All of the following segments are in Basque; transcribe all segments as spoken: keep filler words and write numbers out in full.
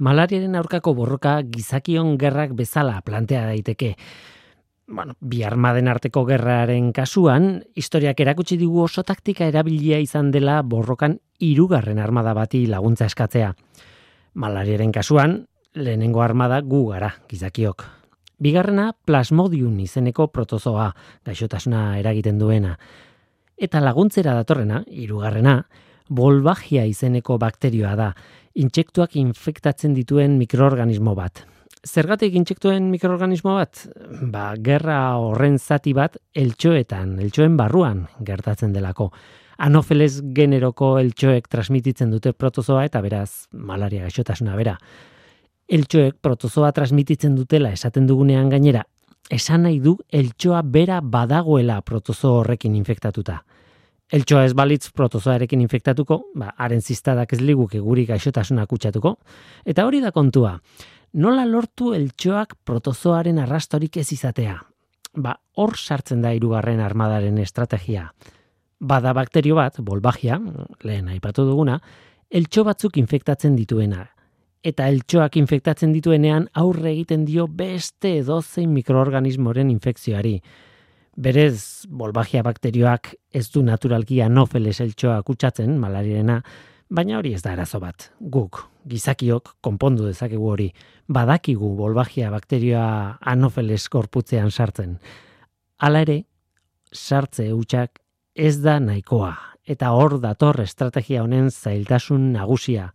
Malariaren aurkako borroka gizakion gerrak bezala plantea daiteke. Bueno, bi armaden arteko gerraren kasuan, historiak erakutsi digu oso taktika erabilia izan dela borrokan hirugarren armada bati laguntza eskatzea. Malariaren kasuan, lehenengo armada gu gara, gizakiok. Bigarrena, Plasmodium izeneko protozoa, gaixotasuna eragiten duena. Eta laguntzera datorrena, hirugarrena, Wolbachia izeneko bakterioa da, intsektuak infektatzen dituen mikroorganismo bat. Zergatik intsektuen mikroorganismo bat? Ba, gerra horren zati bat eltxoetan, eltxoen barruan gertatzen delako. Anopheles generoko eltxoek transmititzen dute protozoa eta beraz malaria gaixotasuna bera. Eltxoek protozoa transmititzen dutela esaten dugunean gainera, esan nahi du eltxoa bera badagoela protozo horrekin infektatuta. Eltxoa ez balitz protozoarekin infektatuko, ba, haren ziztadak ez liguke guri gaixotasuna kutsatuko, eta hori da kontua. Nola lortu eltxoak protozoaren arrastorik ez izatea? Ba, hor sartzen da hirugarren armadaren estrategia. Bada bakterio bat, Wolbachia, lehen aipatu duguna, eltxo batzuk infektatzen dituena. Eta eltxoak infektatzen dituenean aurre egiten dio beste edozein mikroorganismoren infekzioari. Berez, Wolbachia bakterioak ez du naturalki Anopheles eltxoa kutsatzen, malariarena, baina hori ez da arazo bat. Guk, gizakiok, konpondu dezakegu hori. Badakigu Wolbachia bakterioa Anopheles gorputzean sartzen. Hala ere, sartze hutsak ez da nahikoa. Eta hor dator estrategia honen zailtasun nagusia.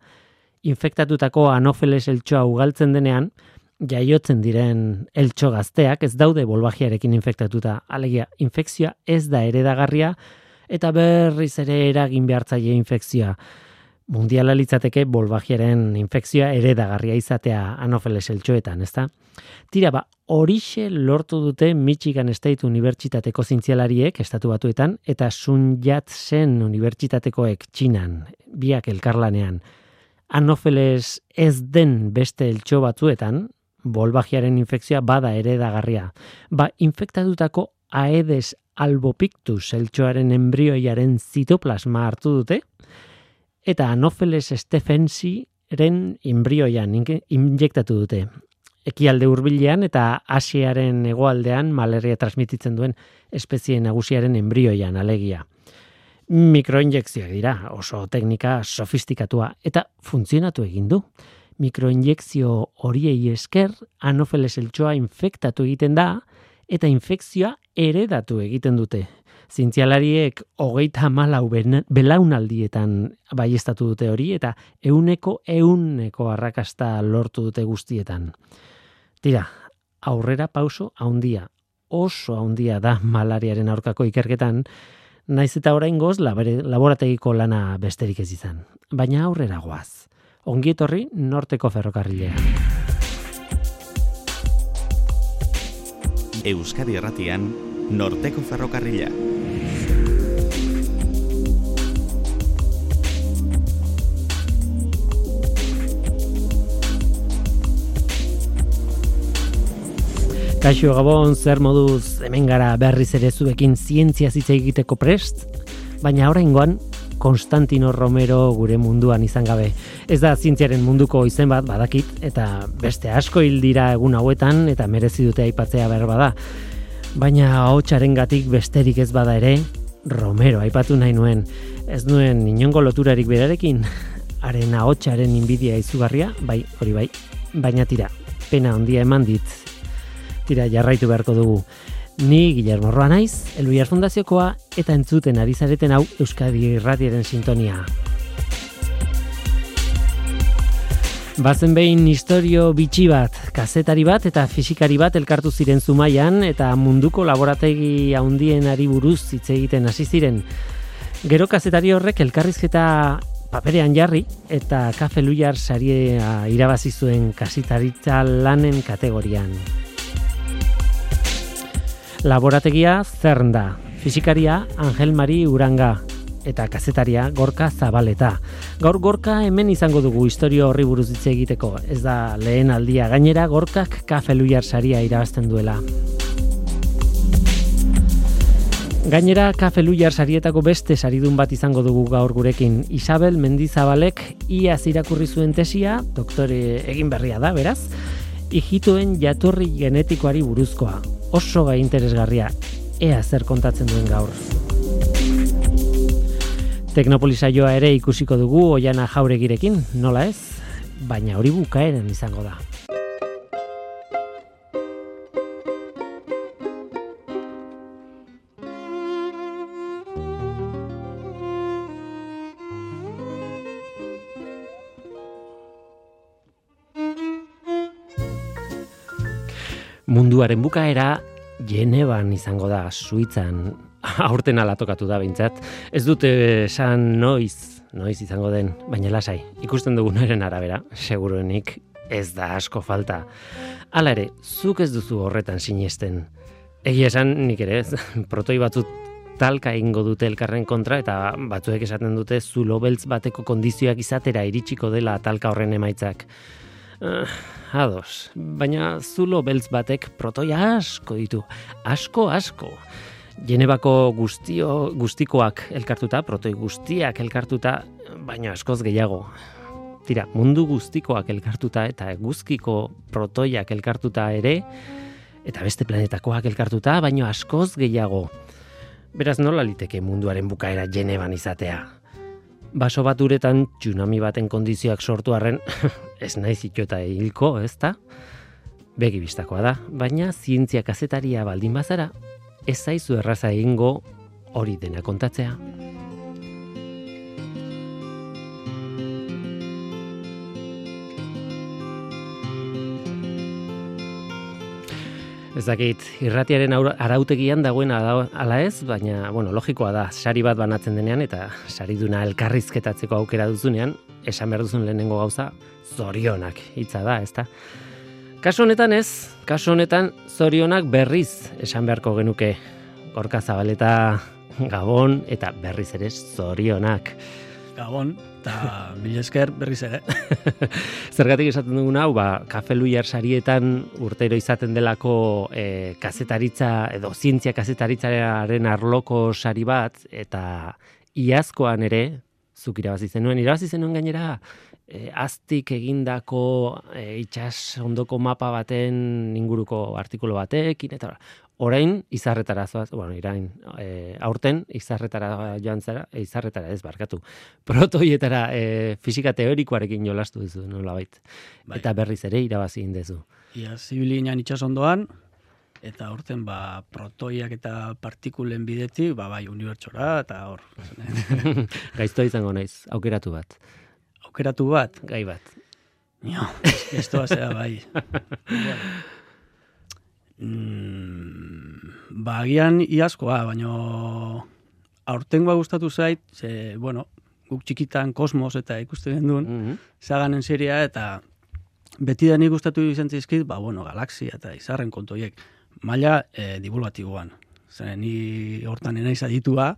Infektatutako Anopheles eltxoa ugaltzen denean, jaiotzen diren eltxo gazteak ez daude Wolbachiarekin infektatuta. Alegia, infekzioa ez da eredagarria eta berriz ere eragin behartzaile infekzioa. Mundiala litzateke Wolbachiaren infekzioa eredagarria izatea Anopheles eltxoetan, ezta? Tira, ba, horixe lortu dute Michigan State Unibertsitateko zientzialariek estatu batuetan eta Sun Yat-sen Unibertsitatekoek Txinan, biak elkarlanean. Anopheles ez den beste eltxo batzuetan, Wolbachiaren infekzioa bada eredagarria. Ba, infektatutako Aedes albopictus eltxoaren embrioiaren zitoplasma hartu dute, eta Anopheles stephensii-ren embrioian injektatu dute. Ekialde hurbilean eta Asiaren hegoaldean malaria transmititzen duen espezie nagusiaren embrioian alegia. Mikroinjekzioak dira, oso teknika sofistikatua eta funtzionatu egin du. Mikroinjekzio horiei esker Anopheles eltxoa infektatu egiten da eta infekzioa eredatu egiten dute. Zientzialariek hogeita hamalau belaunaldietan baieztatu dute hori eta ehuneko ehuneko arrakasta lortu dute guztietan. Tira, aurrera pauso handia, oso handia da malariaren aurkako ikerketan, naiz eta oraingoz laborategiko lana besterik ez izan. Baina aurrera goaz. Ongi etorri Norteko Ferrokarrilean. Euskadi Erratian, Norteko Ferrokarrila. Kaixo Gabon, zer moduz, hemen gara berriz ere zuekin zientzia hitz egiteko prest, baina oraingoan Konstantino Romero gure munduan izan gabe. Ez da zientziaren munduko izen bat, badakit, eta beste asko hil dira egun hauetan, eta merezi dute aipatzea behar bada. Baina ahotsarengatik besterik ez bada ere, Romero aipatu nahi nuen. Ez nuen inongo loturarik berarekin, haren ahotsaren inbidia izugarria, bai, hori bai, baina tira, pena handia eman dit. Tira, jarraitu beharko dugu. Ni Guillermo Roa naiz, Elbiar Fundaziokoa, eta entzuten ari zareten hau Euskadi Irratiaren sintonia. Bazen behin istorio bitxi bat, kazetari bat eta fisikari bat elkartu ziren Zumaian eta munduko laborategi handienari buruz hitz egiten hasi ziren. Gero kazetari horrek elkarrizketa paperean jarri eta Kafe Luiar saria irabazi zuen kasetaritza lanen kategorian. Laborategia Zern da, fisikaria Angel Mari Uranga eta kazetaria Gorka Zabaleta. Gaur Gorka hemen izango dugu istorio horri buruz hitz egiteko. Ez da lehen aldia, gainera Gorkak Kafe Luiar saria irabazten duela. Gainera, Kafe Luiar sarietako beste saridun bat izango dugu gaur gurekin. Isabel Mendizabalek iaz irakurri zuen tesia, doktore egin berria da, beraz, ijitoen jatorri genetikoari buruzkoa. Oso gai interesgarria, ea zer kontatzen duen gaur. Teknopolisaioa ere ikusiko dugu Oiana Jauregirekin, nola ez? Baina hori bukaeran izango da. Munduaren bukaera Genevan izango da, Suitzan, aurten ala tokatu da behintzat. Ez dute esan noiz, noiz izango den, baina lasai, ikusten dugunaren arabera, seguruenik ez da asko falta. Hala ere, zuk ez duzu horretan sinesten. Egia esan, nik ere, protoi batzut talka ingo dute elkarren kontra, eta batzuek esaten dute zulo beltz bateko kondizioak izatera iritsiko dela talka horren emaitzak. Uh, ados, baina zulo beltz batek protoia asko ditu, asko, asko. Genebako guztio, guztikoak elkartuta, protoi guztiak elkartuta, baina askoz gehiago. Tira, mundu guztikoak elkartuta eta eguzkiko protoiak elkartuta ere, eta beste planetakoak elkartuta, baina askoz gehiago. Beraz, nola liteke munduaren bukaera Genevan izatea? Baso bat uretan tsunami baten kondizioak sortu arren, ez naiz itxota hilko, ez da? Begi bistakoa da, baina zientzia kazetaria baldin bazara, ez zaizu erraza egingo hori dena kontatzea. Ez dakit, irratiaren arautegian dagoen ala ez, baina, bueno, logikoa da, sari bat banatzen denean eta sariduna elkarrizketatzeko aukera duzunean, esan behar duzun lehenengo gauza, zorionak hitza da, ezta? Kasu honetan ez, kasu honetan zorionak berriz esan beharko genuke. Gorka Zabaleta Gabon eta berriz ere zorionak. Gabon, eta mila esker berriz ere. Zergatik esaten duguna, hau, ba, Kafe Luiar sarietan urtero izaten delako e, kazetaritza edo zientzia kazetaritzaren arloko sari bat, eta iazkoan ere, zuk irabazi zenuen, irabazi zenuen gainera, e, aztik egindako e, itsas ondoko mapa baten inguruko artikulu batekin, eta orain izarretara zoaz, bueno, irain, e, aurten izarretara joan zara, e, izarretara ez barkatu, protoietara e, fisika teorikoarekin jolastu duzu, nolabait. Bai. Eta berriz ere irabazi indezu. Ia, zibili inan itsasondoan, eta aurten ba, protoiak eta partikulen bidetik, ba, bai, unibertsora, eta hor. Gaiztoa izango naiz, aukeratu bat. Aukeratu bat? Gai bat. Jo, gaiztoa zera, bai. Bueno. Mm, ba, agian iazkoa, baina aurtengoa gustatu zait, ze, bueno, guk txikitan Kosmos eta ikusten genduen, mm-hmm. Zaganen seria, eta beti da nik gustatu izan zizkit, ba, bueno, galaxia eta izarren kontoiek, maila e, divulgatiboan. Zer, ni hortan enaiz aditua,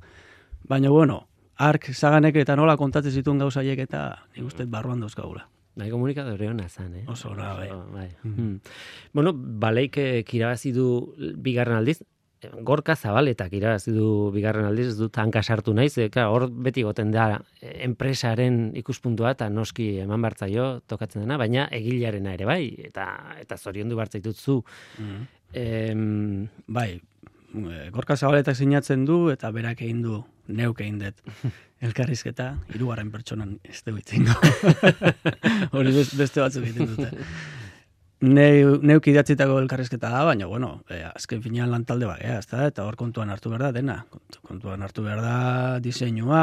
baina, bueno, ark Zaganek eta nola kontatzen zituen gauzaiek eta nik uste barruan dauzkagula. Bai, komunikadore hona zan, eh? Oso, na, bai. bai. Mm. Bueno, baleik irabazi du bigarren aldiz, Gorka Zabaletak irabazi du bigarren aldiz, ez dut hanka sartu naiz, eka, hor beti goten da enpresaren ikuspuntua eta noski eman bartzaio tokatzen dena, baina egilearena ere bai, eta eta zoriondu bartzaitut zu. Mm. Em... Bai, Gorka Zabaletak sinatzen du eta berak egin du, neuk egin dut. Elkarrizketa, hirugarren pertsonan ez dugu itzingo. Hori beste batzuk egiten dute. Neuk idatzitako elkarrizketa da, baina, bueno, eh, azken finean lan talde bagea, ezta? Eta hor kontuan hartu behar da dena. Kontuan hartu behar da diseinua,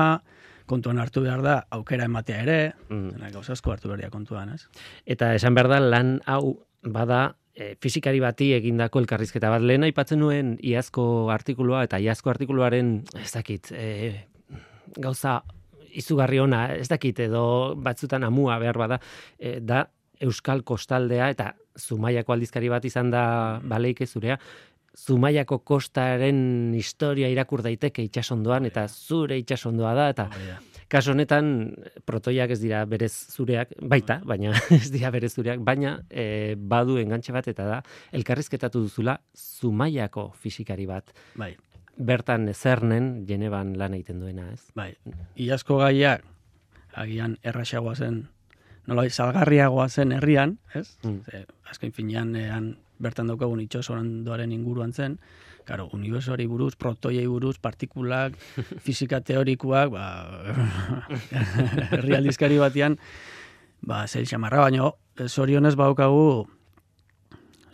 kontuan hartu behar da aukera ematea ere, mm. dena gauza asko hartu behar da kontuan, ez? Eta esan behar da lan hau bada e, fizikari bati egindako elkarrizketa bat. Lehen aipatzen nuen iazko artikulua, eta iazko artikuluaren, ez dakit, e, gauza izugarri ona, ez dakit, edo batzutan amua behar bada, e, da Euskal Kostaldea, eta Zumaiako aldizkari bat izan da baleike zurea, Zumaiako kostaren historia irakur daiteke itsasondoan, eta zure itsasondoa da, eta kaso honetan protoiak ez dira berez zureak, baita, baina ez dira berez zureak, baina e, badu engantxe bat, eta da elkarrizketatu duzula Zumaiako fisikari bat. Bai. bertan zernen Genevan lan egiten duena, ez? Bai, iazko gaiak, agian erraxagoa zen, nola salgarriagoa zen herrian, ez? Mm. Ze, azken finean, ean, bertan daukagun itxasorandoaren inguruan zen, claro, unibertsoari buruz, protoiei buruz, partikulak, fisika teorikoak, ba, herri aldizkari batean, ba, zeil xamarra, baino, zorionez baukagu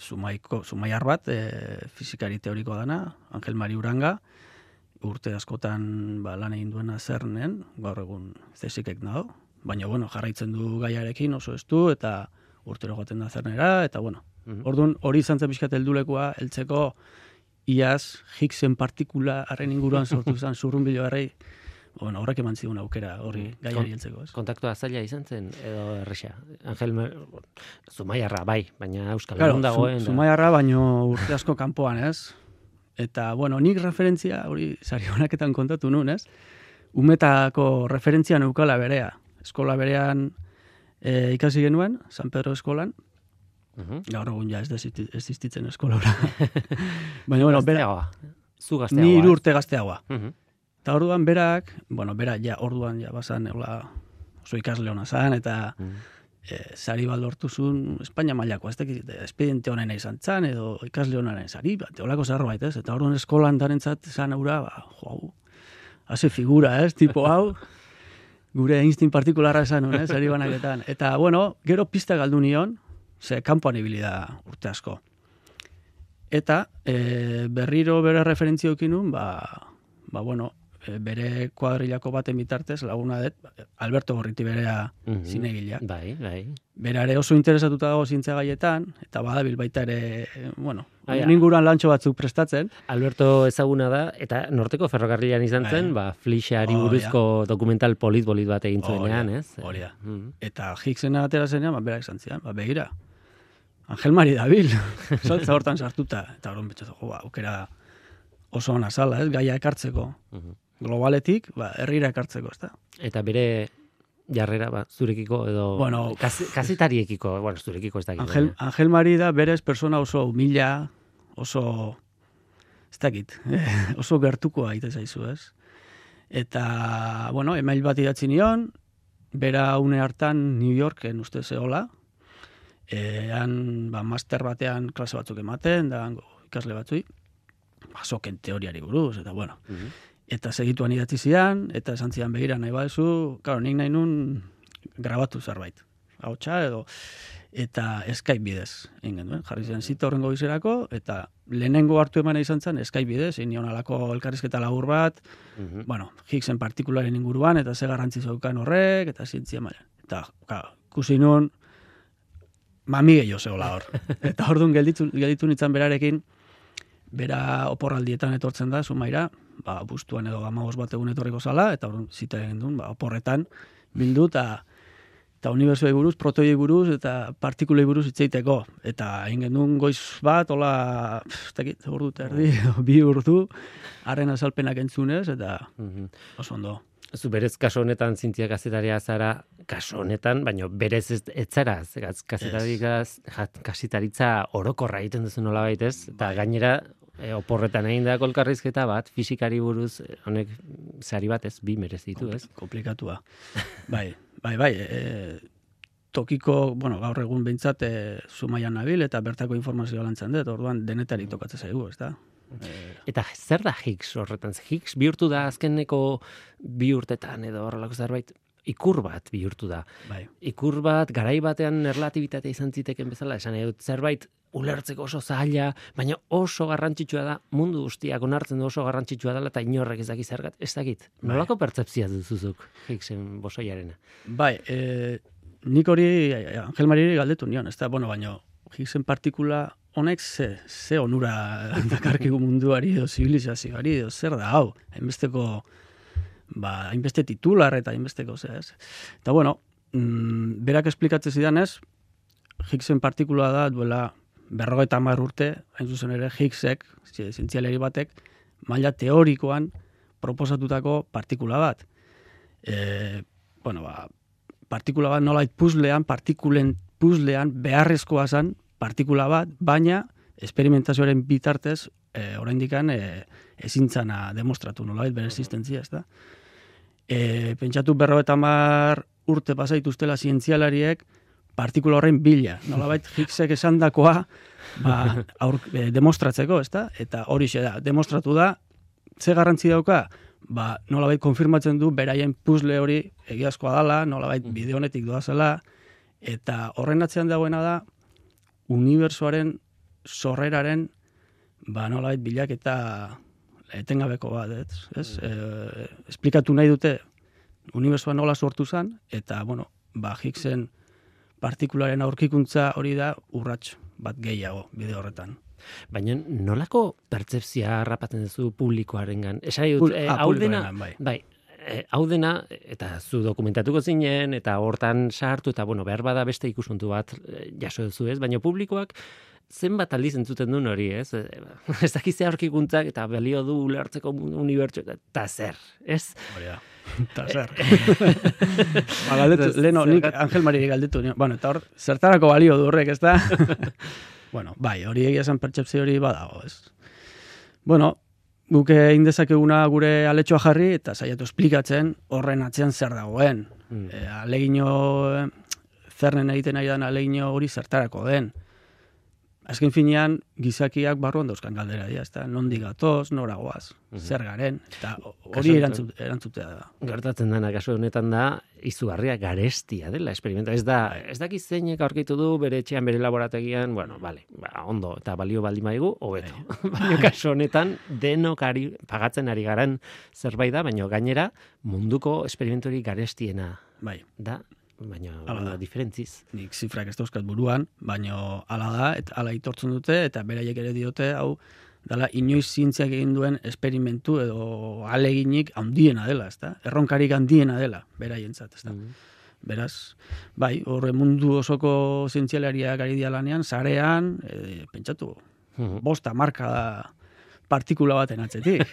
Zumaiko, Zumaiar bat, e, fizikari teoriko dana, Angel Mari Uranga, urte askotan ba, lan egin duena zernen, gaur egun zesikek nago, baina bueno, jarraitzen du gaiarekin oso estu, eta urtero joaten da zernera, eta bueno, mm-hmm. Orduan hori izan zen pixkat heldulekua, heltzeko iaz Higgsen partikula harren inguruan sortu zen zurrunbilo harrei, bueno, horrek eman zigun aukera hori gaiari heltzeko. Kontaktua zaila izan zen, edo erresa? Angel, Zumaiarra, bai, baina Euskal claro, Herrian dagoen. Zu, Zumaiarra, baino urte asko kanpoan, ez? Eta, bueno, nik referentzia, hori sari honaketan kontatu nun, ez? Umetako referentzia neukala berea. Eskola berean e, ikasi genuen, San Pedro eskolan, uh-huh. Gaur egun ja ez existitzen eskolora. Baina, bueno, bera, zu gazteagoa. Ni hiru urte gazteagoa. Uh-huh. Eta orduan berak, bueno, bera ja orduan ja bazan hola oso ikasle hona zan, eta mm. e, sari bat lortu zuen Espainia mailako, ez dakit, espediente honena izan zan, edo ikasle honaren sari, bat, holako zerbait, ez? Eta orduan eskolan darentzat zan aura, ba, jo, hau, haze figura, ez? Tipo hau, gure instin partikularra esan, ez? Sari banaketan. Eta, bueno, gero pista galdu nion, ze kanpoan ibili da urte asko. Eta, e, berriro bere referentzia okinun, ba, ba, bueno, bere kuadrilako baten bitartez, laguna dut, Alberto Gorriti berea mm-hmm. zinegilea. Bai, bai. Bera ere oso interesatuta dago zientzia gaietan, eta badabil baita ere, bueno, ninguran lantxo batzuk prestatzen. Alberto ezaguna da, eta Norteko ferrokarrilan izan zen, ba, Flixeari buruzko oh, dokumental polit-bolit bat egin zuenean, ez? Hori da. Mm-hmm. Eta Higgsena atera zenean, ba, berak izan zian, ba, begira, Angel Mari dabil, saltza hortan sartuta, eta horren betxatu, jo, ba, aukera oso ona zala, ez, gaia ekartzeko. Mm-hmm. Globaletik, ba, herrira ekartzeko, ezta? Eta bere jarrera, ba, zurekiko edo bueno, kazetariekiko, bueno, zurekiko ez dakit. Angel, Angel Mari da berez persona oso humila, oso, ez dakit, oso gertukoa aite zaizu, ez? Eta, bueno, email bat idatzi nion, bera une hartan New Yorken uste zehola, ean, ba, master batean klase batzuk ematen, da ikasle batzui, ba, soken teoriari buruz, eta, bueno, mm-hmm. Eta segituan idatzi zian, eta esan zian begira nahi badezu, claro, nik nahi nun grabatu zerbait. Hautsa edo, eta Skype bidez, egin duen. Jarri zian zita horrengo bizerako, eta lehenengo hartu emana izan zen Skype bidez, egin nion alako elkarrizketa labur bat, uh-huh. Bueno, Higgsen partikularen inguruan, eta ze garrantzi zeukan horrek, eta zientzia maila. Eta, claro, ikusi nun, mami gehiago zegoela hor. Eta orduan gelditu, gelditu nintzen berarekin, bera oporraldietan etortzen da, Zumaira, ba, bustuan edo amagos bat egun etorriko zala, eta orduan zita egin duen, ba, oporretan bildu, eta eta unibertsoei buruz, protoiei buruz, eta partikulei buruz hitzeiteko. Eta egin genuen goiz bat, hola, ez dakit, ordu terdi, bi urdu, haren azalpenak entzunez, eta oso ondo. Zu berez kaso honetan zintzia kazetaria zara, kaso honetan, baina berez ez, ez zara, kazetaritza orokorra egiten duzu nola baitez, eta gainera e, oporretan egin da kolkarrizketa bat, fisikari buruz, honek sari bat ez, bi merezitu, ez? Komplikatua. Bai, bai, bai, e, tokiko, bueno, gaur egun behintzat e, Zumaian nabil, eta bertako informazioa lantzen dut, orduan denetari tokatzen zaigu, ez da? Eta zer da Higgs horretan? Higgs bihurtu da azkeneko bi urtetan edo horrelako zerbait ikur bat bihurtu da. Bai. Ikur bat garai batean erlatibitatea izan ziteken bezala, esan edut zerbait ulertzeko oso zaila, baina oso garrantzitsua da, mundu guztiak onartzen du oso garrantzitsua dela eta inorrek ez dakit zergat, ez dakit. Bai. Nolako pertzepzia duzuzuk Higgsen bosoiarena? Bai, e, nik hori Angel Mariri galdetu nion, ez da, bueno, baina Higgsen partikula honek ze, ze onura dakarkigu munduari edo zibilizazioari edo zer da hau, hainbesteko, ba, hainbeste titular eta hainbesteko, ze, ez. Eta bueno, mm, berak esplikatzen zidan ez, Higgsen partikula da duela berrogeita hamar urte, hain zuzen ere Higgsek, zientzialeri batek, maila teorikoan proposatutako partikula bat. E, bueno, ba, partikula bat nolait puzlean, partikulen puzlean beharrezkoa zen partikula bat, baina esperimentazioaren bitartez e, oraindikan e, ezintzana demostratu nolabait bere existentzia, ez da? E, pentsatu berrogeita hamar urte pasaituztela zientzialariek partikula horren bila, nolabait Higgsek esandakoa ba, aur, e, demostratzeko, ez da? Eta horixe da, demostratu da, ze garrantzi dauka, ba, nolabait konfirmatzen du beraien puzzle hori egiazkoa dala, nolabait bide honetik doazela, eta horren atzean dagoena da, unibertsoaren sorreraren ba, nolabait bilaketa etengabeko bat, ez? ez? E, esplikatu nahi dute unibertsoa nola sortu zen, eta, bueno, ba, Higgsen partikularen aurkikuntza hori da urrats bat gehiago bide horretan. Baina nolako pertzepzia harrapatzen duzu publikoarengan? Esai dut, eh, hau dena, bai, bai eh, hau dena, eta zu dokumentatuko zinen, eta hortan sartu, eta bueno, behar bada beste ikuspuntu bat eh, jaso duzu, ez? Baina publikoak zenbat aldiz entzuten duen hori, ez? Ez dakiz aurkikuntzak, eta balio du ulertzeko unibertso, eta zer, ez? Hori da. Eta zer. ba, galdetu, leheno, nik Angel Mariri galdetu. Bueno, eta hor, zertarako balio du horrek, ez da? bueno, bai, hori egia esan pertsepzio hori badago, ez? Bueno, guk egin dezakeguna gure aletxoa jarri, eta saiatu esplikatzen horren atzean zer dagoen. Mm. E, alegino, zernen egiten nahi den alegino hori zertarako den. Azken finean, gizakiak barruan dauzkan galdera dira, ezta? Nondik gatoz, nora goaz, mm-hmm. zer garen, eta hori erantzut, erantzutea da. Gertatzen dena, kasu honetan da, izugarria garestia dela experimenta. Ez da, ez dakiz zeinek aurkitu du, bere etxean, bere laborategian, bueno, bale, ba, ondo, eta balio baldin baigu, hobeto. Baina kasu honetan, denok ari, pagatzen ari garen zerbait da, baina gainera, munduko esperimentori garestiena bai. Da, baina baina diferentziz. Nik zifrak ez dauzkat buruan, baina hala da, eta hala itortzen dute, eta beraiek ere diote, hau, dala inoiz zientziak egin duen esperimentu edo aleginik handiena dela, ezta? Erronkarik handiena dela, beraientzat, ezta? Mm. Beraz, bai, horre mundu osoko zientzialariak ari dia lanean, sarean, e, pentsatu, mm. bosta marka da partikula baten atzetik.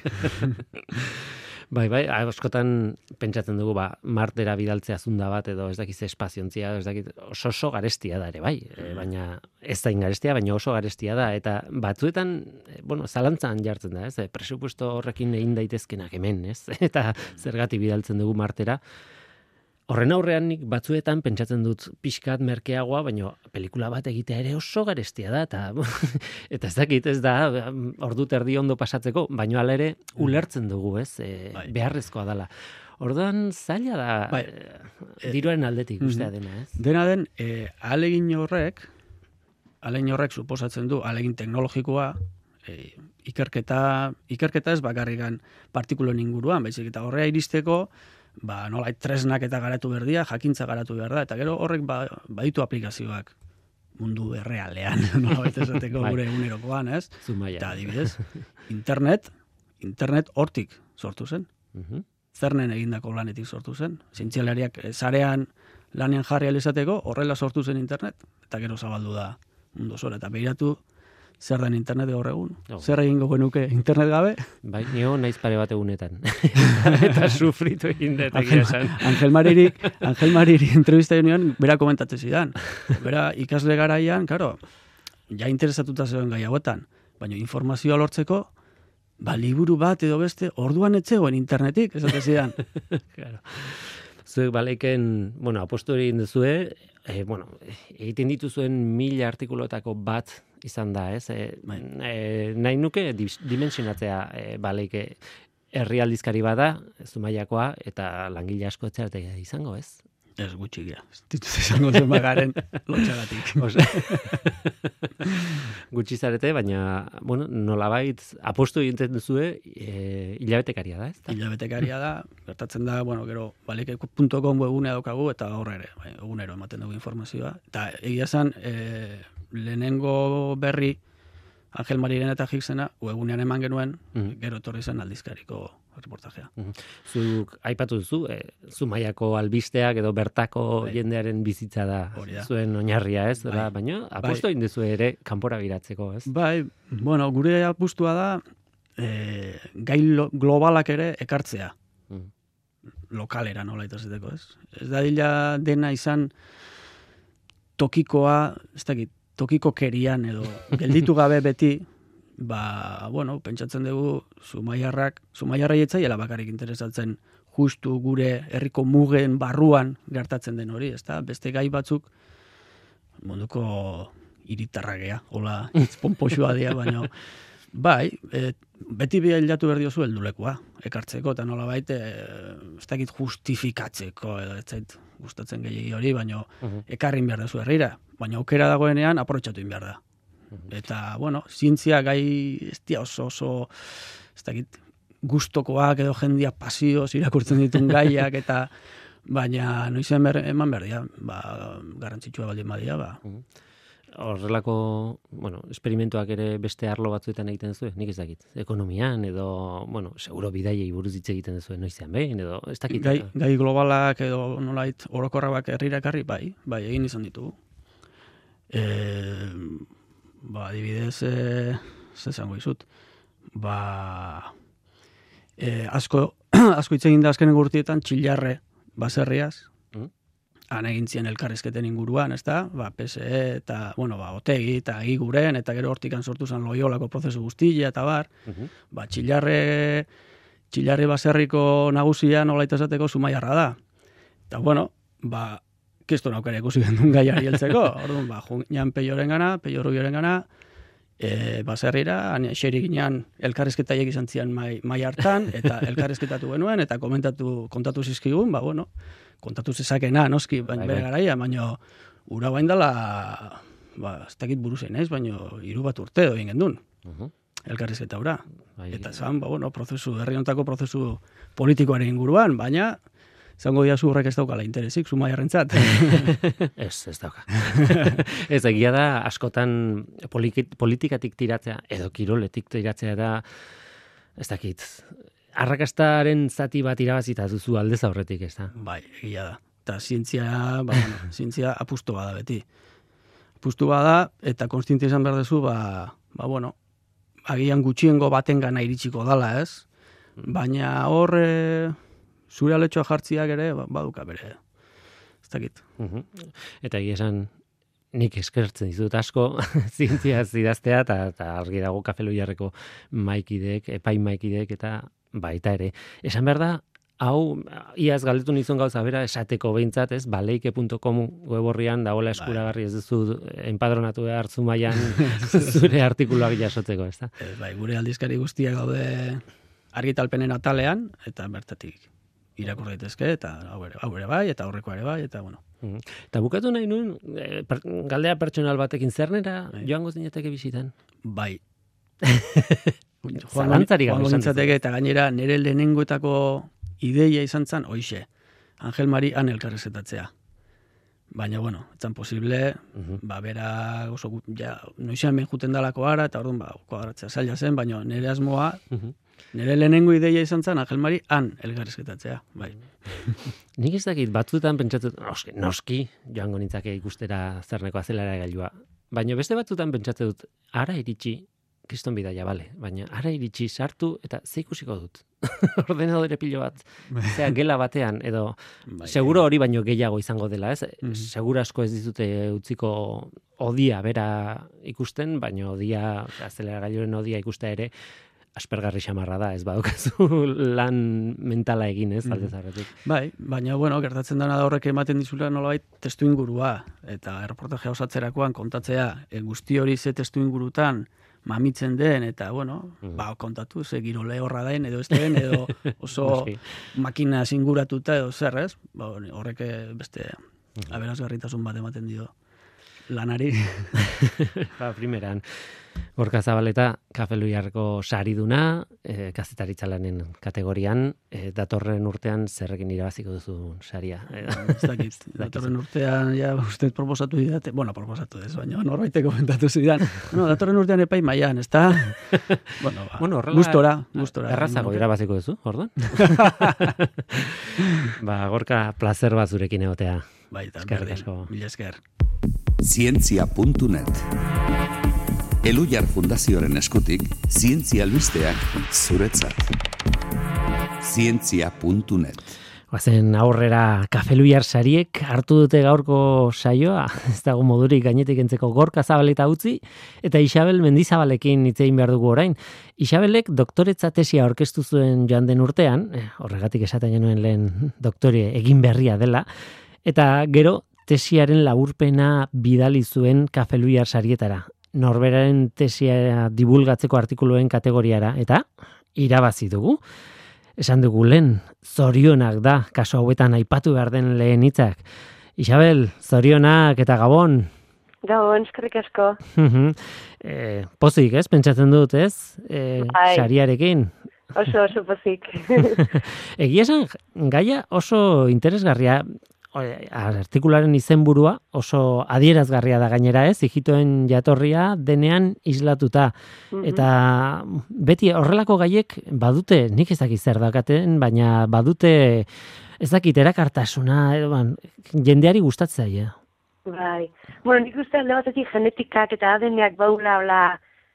Bai, bai, askotan pentsatzen dugu, ba, Martera bidaltzea zunda bat, edo ez dakiz espaziontzia, ez dakiz oso oso garestia da ere, bai, e, baina ez da ingarestia, baina oso garestia da, eta batzuetan, e, bueno, zalantzan jartzen da, ez, e, presupuesto horrekin egin daitezkenak hemen, ez, eta zergatik bidaltzen dugu Martera. Horren aurrean nik batzuetan pentsatzen dut pixkat merkeagoa, baina pelikula bat egitea ere oso garestia da, eta, eta ez dakit ez da, ordu terdi ondo pasatzeko, baina hala ere ulertzen dugu, ez, e, beharrezkoa dela. Orduan zaila da, bai. e, diruaren aldetik ustea dena, ez? Dena den, e, alegin horrek, alegin horrek suposatzen du, alegin teknologikoa, e, ikerketa, ikerketa ez bakarrikan partikuloen inguruan, baizik eta horrea iristeko, ba, nola, tresnak eta garatu berdia, jakintza garatu behar da, eta gero horrek ba, baditu aplikazioak mundu errealean, nola baita esateko gure egunerokoan, ez? Zumaia. Eta adibidez, internet, internet hortik sortu zen. Uh-huh. Zernen egindako lanetik sortu zen. Zientzialariak sarean lanean jarri alizateko, horrela sortu zen internet, eta gero zabaldu da mundu zora, eta behiratu, zer den internet gaur egun? Oh. Zer egingo genuke internet gabe? Bai, nio naiz pare bat egunetan. Eta sufritu egin dut egia esan. Angel Mariri, Angel Mariri entrevista joan, bera komentatzen zidan. Bera ikasle garaian, karo, ja interesatuta zegoen gai hauetan, baina informazioa lortzeko, ba, liburu bat edo beste, orduan etzegoen internetik, esate zidan. Claro. Zuek baleiken, bueno, apostu egin duzue, eh, bueno, egiten dituzuen mila artikuloetako bat izan da, ez? E, e, nahi nuke dimensionatzea e, baleike herrialdizkari bada, Zumaiakoa, eta langile asko etxeratea izango, ez? Ez gutxi gira. Ez dituz izango zen bagaren lotxagatik. Gutxi zarete, baina, bueno, nolabait apostu egiten duzue e, hilabetekaria da, ez? Hilabetekaria da, gertatzen da, bueno, gero, baleike punto com webunea daukagu, eta horre ere, bai, egunero ematen dugu informazioa. Eta egia zen, e, lehenengo berri, Angel Mariren eta Higgsena, webunean eman genuen, mm-hmm. gero etorri zen aldizkariko reportajea. Mm-hmm. Zuk aipatu duzu, e, Zumaiako albisteak edo bertako bai. Jendearen bizitza da, da. Zuen oinarria, ez? Bai. Da, baina apustu egin duzu ere kanpora biratzeko, ez? Bai, bueno, gure apustua da e, gai lo, globalak ere ekartzea. Mm. Lokalera nola itazeteko, ez? Ez da dila dena izan tokikoa, ez dakit, tokiko kerian edo gelditu gabe beti, ba, bueno, pentsatzen dugu Zumaiarrak, Zumaiarrai etzaiela bakarrik interesatzen justu gure herriko mugen barruan gertatzen den hori, ezta? Beste gai batzuk munduko hiritarragea, hola, pompoxua dira, baina bai, e, beti bilatu behar diozu heldulekua, ekartzeko, eta nola baite, ez dakit justifikatzeko, edo ez zait gustatzen gehiagi hori, baina uh-huh. ekarrin behar duzu herrira, baina aukera dagoenean aprobetxatu behar da. Uh-huh. Eta, bueno, zientzia gai ez dia oso oso, ez dakit, gustokoak edo jendia pasioz irakurtzen ditun gaiak, eta baina noizean eman behar dira, ba, garrantzitsua baldin badia, ba. Uh-huh. Horrelako, bueno, esperimentuak ere beste arlo batzuetan egiten zuen, nik ez dakit. Ekonomian edo, bueno, seguro bidaiei buruz hitz egiten zuen noizean behin edo ez dakit. Gai, gai globalak edo nolait orokorrak herrirakarri bai, bai egin izan ditugu. E, ba, adibidez, e, ze esango dizut. Ba, e, asko asko hitz egin da azkenen urtietan Txillarre baserriaz. Han egin zien elkarrizketen inguruan, ezta? Ba, P S E eta, bueno, ba, Otegi eta Iguren, eta gero hortikan sortu zen Loiolako prozesu guztia, eta bar, uh-huh. ba, Txillarre, Txillarre baserriko nagusia nolaita esateko Zumaiarra da. Eta, bueno, ba, kisto naukere ikusi gendun gaiari heltzeko, orduan, ba, juan peioren gana, peio rubioren gana, e, baserrira, xeri ginean elkarrizketaiek izan zian mai, mai hartan, eta elkarrizketatu genuen, eta komentatu, kontatu zizkigun, ba, bueno, kontatu zezakena, noski, baina bere garaia, baina ura bain dela, ba, ez dakit buruzen ez, baina hiru bat urte egin gendun, uh-huh. elkarrizketa ura. Bai. Eta zan, ba, bueno, prozesu, herri hontako prozesu politikoaren inguruan, baina zango diazu horrek ez daukala interesik, Zumaiarrentzat. ez, ez dauka. ez, egia da, askotan politikatik tiratzea, edo kiroletik tiratzea da, ez dakit, arrakastaren zati bat irabazita duzu aldez aurretik, ez da? Bai, egia da. Eta zientzia, ba, bueno, zientzia apustu bada beti. Apustu bada, eta konstientzia izan behar duzu, ba, ba, bueno, agian gutxiengo baten gana iritsiko dala, ez? Baina hor, e, zure aletxoa jartziak ere, ba, baduka bere, ez dakit. Uh-huh. Eta egia esan, nik eskertzen dizut asko zientzia zidaztea, eta argi dago Kafeloiarreko maikideek, epai maikideek, eta baita ere. Esan behar da, hau, iaz galdetu nizun gauza bera, esateko behintzat, ez, baleike punto com web horrian dagoela eskuragarri, ez duzu enpadronatu behar Zumaian zure artikuluak jasotzeko, ez da? Bai, gure aldizkari guztiak gaude argitalpenen atalean, eta bertatik irakur daitezke, eta hau ere, hau ere bai, eta aurrekoa ere bai, eta bueno. Mm. Eta bukatu nahi nuen, e, per, galdea pertsonal batekin zernera, bai. Joango zinateke bizitan? Bai. Zalantzari gabe izantzateke, eta gainera nire lehenengoetako ideia izan zen, oixe, Angel Mari han elkarrezetatzea. Baina, bueno, etzan posible, uh-huh. ba, bera, oso, ja, noizean ben juten dalako ara, eta orduan, ba, kuadratzea zaila zen, baina nire asmoa, uh-huh. nire lehenengo ideia izan zen, Angel Mari han elkarrezetatzea, bai. Nik ez dakit, batzutan pentsatut, noski, noski, joango nintzake ikustera zerneko azelara gailua. Baina beste batzutan pentsatzen dut, ara iritsi, kriston bidaia, bale, baina ara iritsi sartu eta ze ikusiko dut. Ordenadore pilo bat, zera gela batean, edo bai, seguro hori baino gehiago izango dela, ez? Mm-hmm. Seguro asko ez dizute utziko odia bera ikusten, baina odia, azeleragailuaren odia ikustea ere, aspergarri xamarra da, ez badukazu lan mentala egin, ez, aldez aurretik. Bai, baina, bueno, gertatzen dena da horrek ematen dizula nolabait testu ingurua, eta erreportajea osatzerakoan kontatzea, e, guzti hori ze testu ingurutan mamitzen den, eta, bueno, mm. ba, kontatu, ze giro lehorra daen, edo ez den, edo oso makina zinguratuta, edo zer, ez? Ba, horrek beste mm. aberazgarritasun bat ematen dio lanari. Ba, primeran, Gorka Zabaleta, Kafeloiarreko sariduna, e, kazetaritza lanen kategorian, e, datorren urtean zerrekin irabaziko duzu saria. Ez dakit, datorren urtean, ja, uste proposatu didate, bueno, proposatu ez, baina norbaitek komentatu zidan, no, datorren urtean epai maian, ez da? Bueno, ba, bueno, gustora, gustora. Errazago irabaziko duzu, orduan? Ba, Gorka, placer bat zurekin egotea. Baita, berdin, mila esker. Zientzia puntu net Elujar Fundazioaren eskutik, zientzia albisteak zuretzat. Zientzia puntu net Guazen aurrera Kafeluiar sariek hartu dute gaurko saioa, ez dago modurik gainetik entzeko Gorka Zabaleta utzi, eta Isabel Mendizabalekin hitz egin behar dugu orain. Isabelek doktoretza tesia aurkeztu zuen joan den urtean, horregatik esaten genuen lehen doktore egin berria dela, eta gero tesiaren laburpena bidali zuen Kafeluiar sarietara. Norberaren tesia divulgatzeko artikuluen kategoriara, eta irabazi dugu. Esan dugu lehen, zorionak da, kaso hauetan aipatu behar den lehen hitzak. Isabel, zorionak eta gabon. Gabon, eskerrik asko. e, pozik, ez? Pentsatzen dut, ez? E, sariarekin. Oso, oso pozik. Egia esan, gaia oso interesgarria, artikularen izenburua oso adierazgarria da gainera, ez? Ijitoen jatorria denean islatuta. Mm-hmm. Eta beti horrelako gaiek badute, nik ez dakit zer dakaten, baina badute ez dakit erakartasuna, ban, jendeari gustatzen zaie. Bai. Bueno, nik uste alde batetik genetikak eta A D N-ak baula, hola,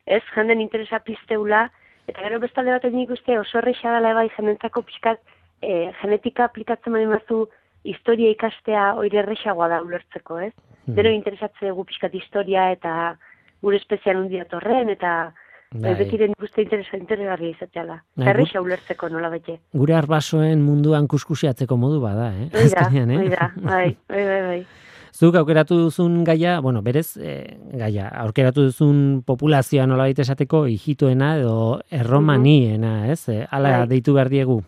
ez, jenden interesa pizteula, eta gero beste alde batetik nik uste oso erresa dela bai jendentako pixkat eh, genetika aplikatzen bali mazu historia ikastea oire erresagoa da ulertzeko, ez? Hmm. Deno interesatze dugu pixkat historia eta gure espezian hundi datorren, eta bai. Betiren guzti interesgarria izateala. Eta erresa ulertzeko nola bete. Gure arbasoen munduan kuskusiatzeko modu bada, eh? Oida, eh? oida, bai, bai, bai, bai. Zuk aukeratu duzun gaia, bueno, berez, eh, gaia, aukeratu duzun populazioa nola baita esateko hijitoena edo erromaniena, ez? Eh, ala bai. Deitu behar diegu.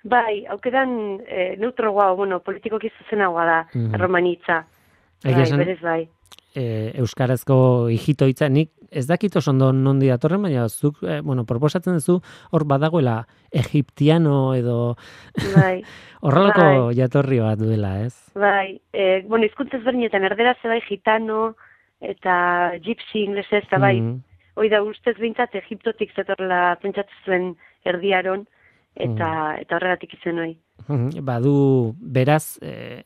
Bai, aukeran e, neutro guau, bueno, politikoki zuzenagoa da, mm-hmm. erromanitza. Bai, berez bai. E, euskarazko hijito hitza, nik ez dakit oso ondo nondi datorren, baina zuk, e, bueno, proposatzen duzu hor badagoela egiptiano edo bai. horrelako bai. Jatorri bat duela, ez? Bai, e, bueno, hizkuntza ezberdinetan erdera ze bai gitano eta gypsy inglesez, eta bai, mm-hmm. hoi da ustez behintzat Egiptotik zetorla pentsatzen zuen erdiaron, eta mm. eta horregatik izen hori. Badu, beraz, e,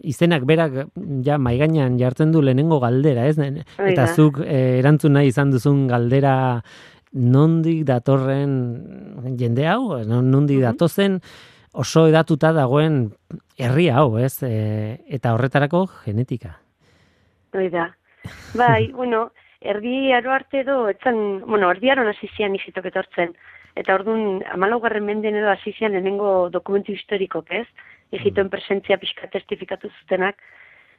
izenak berak ja maigainan jartzen du lehenengo galdera, ez? Eta zuk e, erantzun nahi izan duzun galdera nondik datorren jende hau, nondik mm-hmm. datozen oso edatuta dagoen herri hau, ez? E, eta horretarako genetika. Hoi da. Bai, bueno, erdi aro arte edo, etzan, bueno, erdi aron hasi zian izitok etortzen. Eta orduan, hamalaugarren menden edo hasi zian lehenengo dokumentu historikok, ez? Egiptoen presentzia pixka testifikatu zutenak,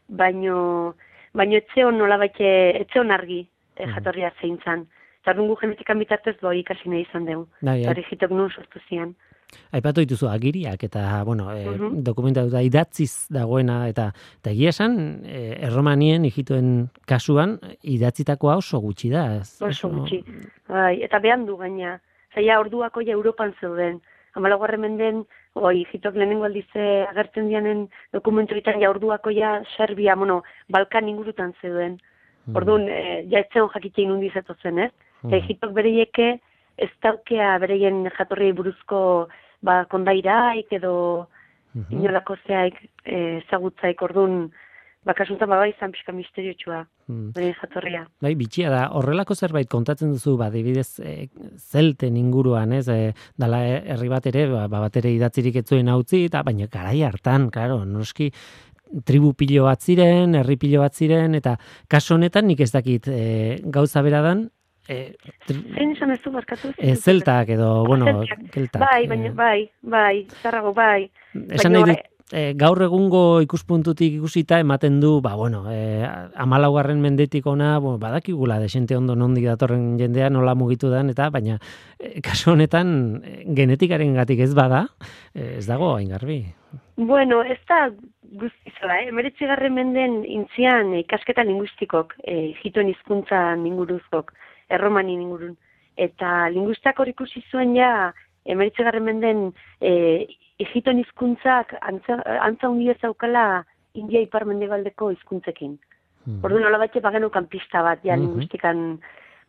baino, baino etzeon nola baite, etzeon argi eh, jatorria zein zan. Eta orduan gu genetikan bitartez boi ikasi nahi izan dugu. Eta Egiptok nun sortu zian. Aipatu dituzu agiriak eta, bueno, e, uh-huh. dokumentatuta idatziz dagoena, eta, eta egia esan, e, erromanien Egiptoen kasuan idatzitakoa oso gutxi da. Ez, oso gutxi, bai, eta behan du gaina. Zaila orduako ja Europan zeuden. Hamalaugarren menden, oi, Egiptok lehenengo aldize agertzen dianen dokumentuetan ja orduako ja Serbia, bueno, Balkan ingurutan zeuden. Mm. Orduan, e, ja etzeon jakitein hundi zetozen, ez? Mm. Egiptok bereieke ez daukea bereien jatorriei buruzko ba, kondairaik edo mm-hmm. inolako zeaik ezagutzaik, orduan, bakasuntan baba izan pixka misteriotxua, hmm. bere jatorria. Bai, bitxia da, horrelako zerbait kontatzen duzu, ba, dibidez, e, zelten inguruan, ez, e, dala herri bat ere, ba, bat ere idatzirik etzuen hautzi, eta baina garai hartan, karo, noski, tribu pilo bat ziren, herri pilo bat ziren, eta kaso honetan nik ez dakit e, gauza beradan, e, tri... Zein esan ez du markatu? E, zeltak edo, bueno, keltak. Bai, baina, bai, bai, zarrago, bai. Esan nahi dut, E, gaur egungo ikuspuntutik ikusita ematen du, ba, bueno, e, hamalaugarren mendetik ona, bueno, badakigula desente ondo nondik datorren jendea nola mugitu den, eta baina e, kasu honetan e, genetikaren gatik ez bada, e, ez dago hain garbi. Bueno, ez da guztizoa, eh? Emeretzigarren menden intzian ikasketa linguistikok, e, Egiptoen hizkuntzan inguruzkok, erromanin ingurun, eta linguistak hor ikusi zuen ja, emeretzigarren menden e, Egiptoen hizkuntzak antza, antza hundia zaukala India ipar mendebaldeko hizkuntzekin. Mm. Orduan nola batxe bagenukan pista bat, ja, mm-hmm. linguistikan.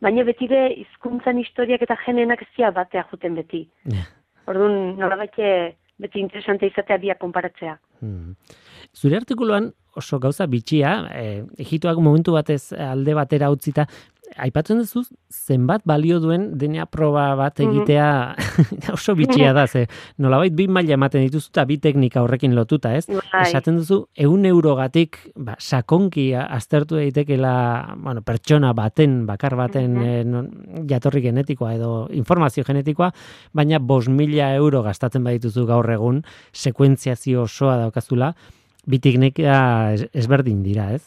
Baina betire hizkuntzan historiak eta genenak ez dira batea juten beti. Yeah. Orduan nola batxe beti interesante izatea biak konparatzea. Mm. Zure artikuluan oso gauza bitxia, e, Egiptoak momentu batez alde batera utzita, aipatzen duzu zenbat balio duen D N A proba bat egitea oso bitxia da, ze nolabait bi maila ematen dituzu eta bi teknika horrekin lotuta, ez? Bai. Esaten duzu ehun eurogatik ba, sakonki aztertu daitekeela, bueno, pertsona baten, bakar baten Mhm. eh, non- jatorri genetikoa edo informazio genetikoa, baina bost mila euro gastatzen badituzu gaur egun, sekuentziazio osoa daukazula, bi teknika ez- ezberdin dira, ez?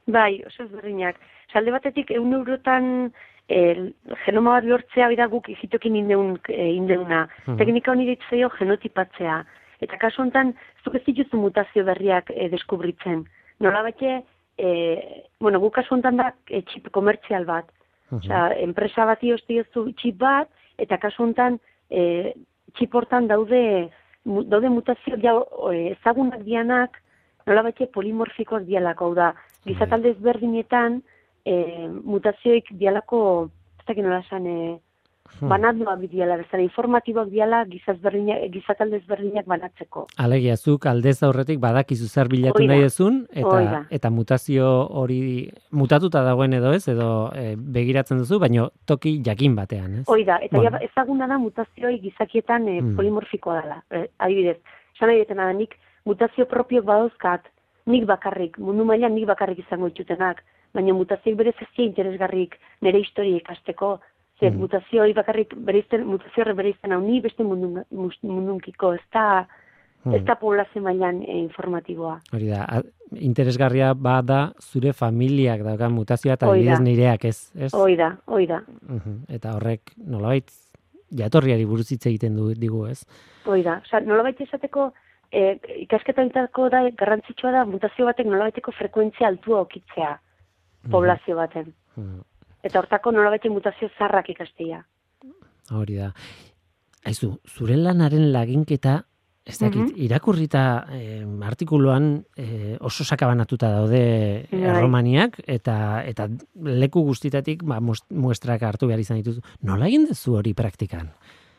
Bai, oso ezberdinak. Salde batetik, eun eurotan el, genoma bat lortzea bida guk hitokin indeun, e, indeuna. Mhm. Teknika honi ditzaio genotipatzea. Eta kasu honetan, zuk ez dituzu mutazio berriak e, deskubritzen. Nola batxe, e, bueno, guk kasu honetan da e, txip komertzial bat. Osea, enpresa bati ostiozu txip bat, eta kasu honetan e, txip hortan daude, mu, daude mutazio ja, e, ezagunak dianak, nola batxe polimorfikoak dialako, hau da, gizatalde ezberdinetan, e, mutazioik dialako, ez dakit nola esan, e, banatuak diala, bezala informatiboak diala gizatalde ezberdinak banatzeko. Alegia, zuk aldez aurretik badakizu zer bilatu Hoi da. nahi dezun, Hoi eta, da. eta mutazio hori mutatuta dagoen edo ez, edo e, begiratzen duzu, baino toki jakin batean, ez? Hoi da, eta Bueno. ja, ezaguna da mutazioi gizakietan e, Mm. polimorfikoa dela. E, adibidez, esan nahi detena da, nik mutazio propiok badauzkat, nik bakarrik, mundu mailan nik bakarrik izango ditutenak, baina mutazioik berez ez dira interesgarrik nire historia ikasteko, ze Mm. mutazioi bakarrik bereizten, mutazio horre bereizten hau ni beste mundun, mundunkiko, ez da, Mm. ez da poblazio mailan e, informatiboa. Hori da, a- interesgarria bada zure familiak daukan mutazioa eta Hoi da. adibidez nireak ez, ez? Hoi da, hoi da, Mhm. Eta horrek nolabait jatorriari buruz hitz egiten du digu, ez? hoi da. Osa, nolabait esateko, e, ikasketaitako da, garrantzitsua da, mutazio batek nolabaiteko frekuentzia altua okitzea, poblazio baten. Mhm. Eta hortako nolabaite mutazio zarrak ikastea. Hori da. Aizu, zure lanaren laginketa, ez dakit, Mhm. irakurrita eh, artikuluan eh, oso sakabanatuta daude Bai. erromaniak, eta eta leku guztitatik ba, mos- muestrak hartu behar izan dituzu. Nola egin duzu hori praktikan?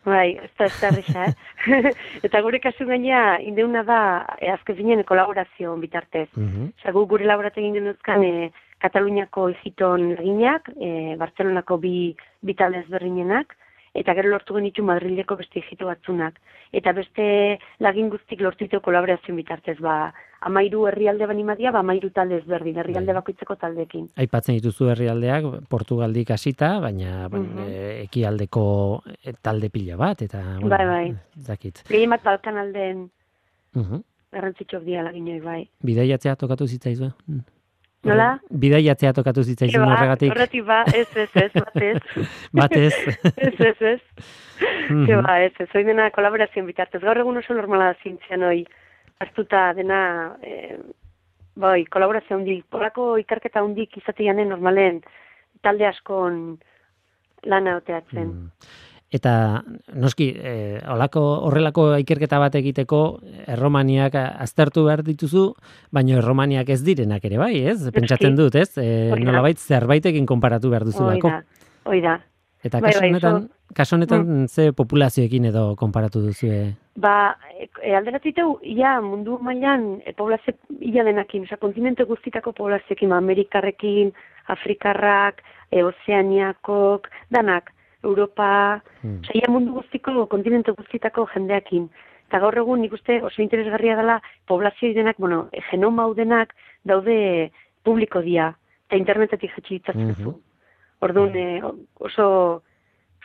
Bai, ez da, ez da erresa, eh? Eta gure kasu gaina, indeuna da, e, azken zinen kolaborazio bitartez. Mhm. Osa, gu gure laboratu egin genuzkan e, Kataluniako egiton laginak, e, Bartzelonako bi, bi talde ezberdinenak, eta gero lortu genitu Madrileko beste egito batzunak. Eta beste lagin guztik lortu ditu kolaborazio bitartez, ba, amairu herrialde banimadia, ba, amairu talde ezberdin, herrialde bakoitzeko taldekin. Aipatzen dituzu herrialdeak, Portugaldik hasita, baina mm Mhm. ekialdeko eh, talde pila bat, eta bueno, Bai, bai. ez dakit. Gehien bat Balkan aldeen Mhm. garrantzitsuak dira laginoi, bai. Bidaiatzea tokatu zitzaizue? Mm. Nola? Bidaiatzea tokatu zitzaizun Eba, horregatik? Horretik ba, ez, ez, ez, batez. Batez. ez, ez, ez. Mhm. Ke ba, ez, ez, hoi dena kolaborazioen bitartez. Gaur egun oso normala da zientzian hoi, hartuta dena, eh, bai, kolaborazio handik, polako ikerketa handik izateanen normalen talde askon lana oteatzen. Mm. Eta noski, eh, olako, horrelako ikerketa bat egiteko erromaniak aztertu behar dituzu, baina erromaniak ez direnak ere bai, ez? Pentsatzen dut, ez? E, Hori da. nolabait zerbaitekin konparatu behar Hoi duzulako. da, hoi da. Eta Bai, kasu bai, honetan, oso- Mm. kasu honetan ze populazioekin edo konparatu duzue? Ba, e, alderatiteu, ia mundu mailan e, poblazio ia denakin, oza, kontinente guztitako poblazioekin, ba, Amerikarrekin, Afrikarrak, e, Ozeaniakok, danak, Europa, Hmm. oza, ia mundu guztiko, kontinente guztitako jendeakin. Eta gaur egun nik uste oso interesgarria dela poblazio denak, bueno, e, genoma hau denak daude publiko dia, eta internetetik jetxi ditzazuzu. Mhm. Orduan, e, oso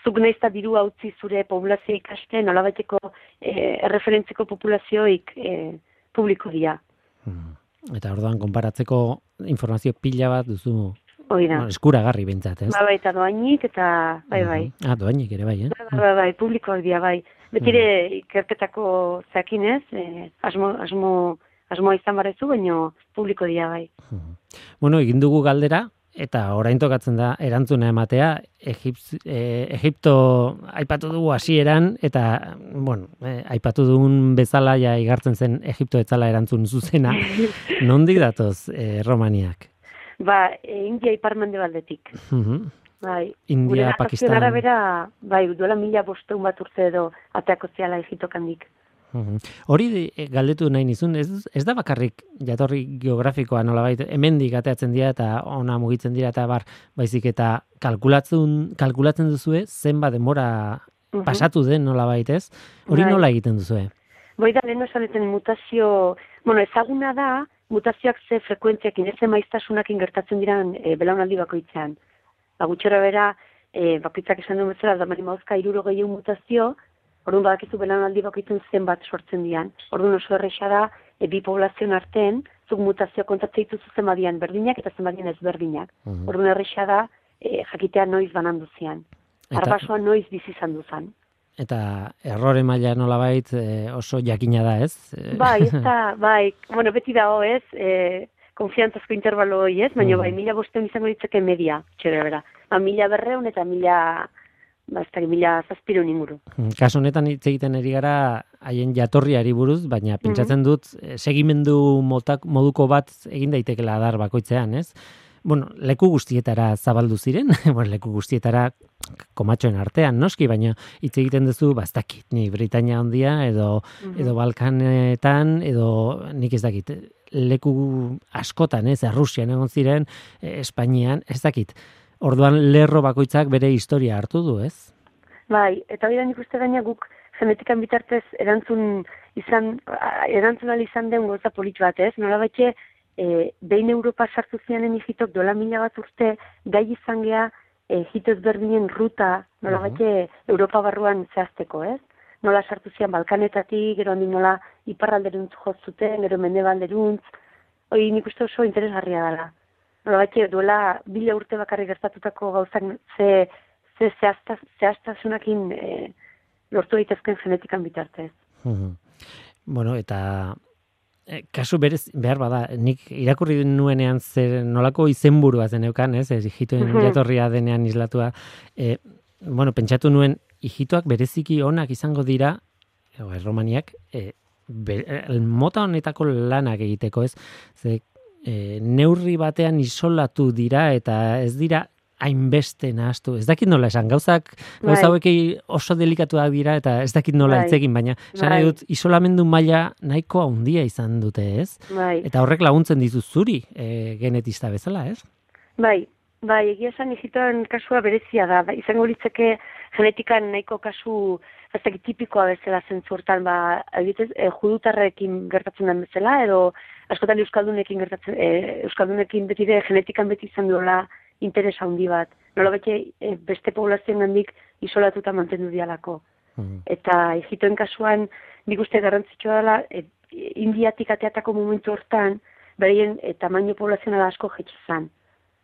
zuk naizta dirua utzi zure poblazio ikasten, nolabaiteko e, erreferentziko populazioik e, publiko dira. Hmm. Eta orduan konparatzeko informazio pila bat duzu, Hoi da. bueno, eskuragarri bentsat, ez? Ba, bai, eta doainik, eta bai, bai. Mhm. Ah, doainik ere bai, eh? Bai, bai, bai, publikoak dira, bai. Betire ikerketako zeakinez, e, asmo, asmo, asmoa izan barezu, baino publiko dira, bai. Mhm. Bueno, egin dugu galdera, eta orain tokatzen da erantzuna ematea, Egipz, eh, Egipto aipatu dugu hasieran, eta, bueno, eh, aipatu dugun bezala ja igartzen zen Egipto etzala erantzun zuzena. Nondik datoz eh, Romaniak? Ba, e, India iparmende baldetik. Mhm. Bai. India, Gure narrazioen Pakistan. arabera, bai, duela mila bosteun bat urte edo ateako zeala Egiptokandik. Mhm. Hori eh, galdetu nahi nizun, ez, ez da bakarrik jatorri geografikoa nolabait, hemendik ateatzen dira eta ona mugitzen dira eta bar, baizik eta kalkulatzen, kalkulatzen duzue zenba denbora Mhm. pasatu den nolabait ez? Hori Bai. nola egiten duzue? Boi da, lehen esan mutazio, bueno, ezaguna da, mutazioak ze frekuentziakin, ez ze maiztasunakin gertatzen diran e, belaunaldi bakoitzean. Ba, gutxora bera, e, bakoitzak esan duen bezala, da mani mauzka irurogei eun mutazio, orduan badakizu belaunaldi bakoitzen zenbat sortzen dian. Orduan oso erresa da, e, bi poblazioen artean, zuk mutazio kontatzea dituzu zenbadian berdinak eta zenbadian ezberdinak. Mhm. Orduan erresa da, e, jakitea noiz banandu zian. Eta- Arbasoa noiz bizi izan duzan. Eta errore maila nolabait e, oso jakina da, ez? E, Bai, ez da, bai, bueno, beti dago, ez, e, konfiantzazko intervalo hori, ez, baina Mm. bai, mila bosteun izango ditzake media, txera bera. Ba, mila berreun eta mila, ba, ez da, mila zazpireun inguru. Kasu honetan hitz egiten ari gara haien jatorriari buruz, baina pentsatzen dut eh, segimendu motak, moduko bat egin daitekela adar bakoitzean, ez? Bueno, leku guztietara zabaldu ziren, bueno, leku guztietara komatxoen artean, noski, baina hitz egiten duzu, bastakit, ni Britania handia, edo, edo Balkanetan, edo nik ez dakit, leku askotan, ez, Errusian egon ziren, eh, Espainian, ez dakit. Orduan lerro bakoitzak bere historia hartu du, ez? Bai, eta hori da nik uste gaina guk genetikan bitartez erantzun izan, a- erantzun ahal izan den gauza polit bat, ez? Nola batxe, e, behin Europa sartu zianen hijitok dola mila bat urte gai izan gea e, hito ezberdinen ruta, nola Mhm. batxe Europa barruan zehazteko, ez? Nola sartu zian Balkanetatik, gero handi nola iparralderuntz jozuten, gero mendebalderuntz, hori nik uste oso interesgarria dela. Nola batxe, duela bila urte bakarrik gertatutako gauzak ze, ze zehaztaz, zehaztasunakin e, lortu daitezken genetikan bitartez. Mhm. Bueno, eta eh, kasu berez, behar bada, nik irakurri nuenean zer nolako izenburua zeneukan, ez, ez ijitoen Mhm. jatorria denean islatua, eh, bueno, pentsatu nuen, ijitoak bereziki onak izango dira, o, erromaniak, eh, be, eh, mota honetako lanak egiteko, ez, ze eh, neurri batean isolatu dira, eta ez dira hainbeste nahaztu. Ez dakit nola esan, gauzak, gauza Bai. hauek oso delikatuak dira, eta ez dakit nola Bai. hitz egin, baina esan nahi Bai. dut, isolamendu maila nahiko handia izan dute, ez? Bai, Eta horrek laguntzen dizu zuri, e, genetista bezala, ez? bai, bai, egia esan hijitoen kasua berezia da, bai, izango litzeke genetikan nahiko kasu ez dakit tipikoa bezala zentzu hortan, ba, adibidez, e, judutarrekin gertatzen den bezala, edo askotan euskaldunekin gertatzen, e, euskaldunekin beti de genetikan beti izan duela interes handi bat. Nola bete e, beste poblazioen gandik isolatuta mantendu dialako. Mhm. Eta hijitoen kasuan, nik uste garrantzitsua dela, e, Indiatik ateatako momentu hortan, beraien e, tamaino poblazionala asko jetxe zan.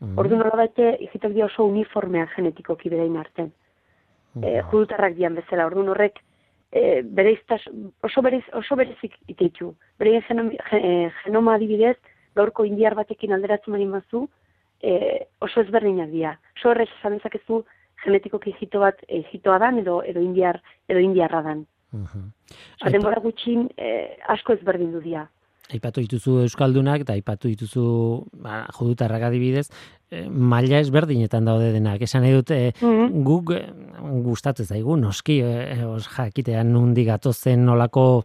Mhm. Ordu nola bete, hijitok dia oso uniformean genetikoki berein arten. E, judutarrak dian bezala, orduan horrek e, bereiztas, oso, berez, oso berezik iteitu. Bereien genom, ge, genoma adibidez, gaurko indiar batekin alderatzen bari mazu, e, oso ezberdinak dira. Oso horrez esan dezakezu genetikoki hijito bat e, hijitoa dan edo, edo, indiar, edo indiarra dan. Mhm. Ba, denbora gutxin e, asko ezberdin du dira. Aipatu dituzu euskaldunak eta aipatu dituzu ba, judutarrak adibidez, e, maila ezberdinetan daude denak. Esan nahi dut, e, Mhm. guk e, gustatzen zaigu, noski, e, os, jakitean nundi gatozen nolako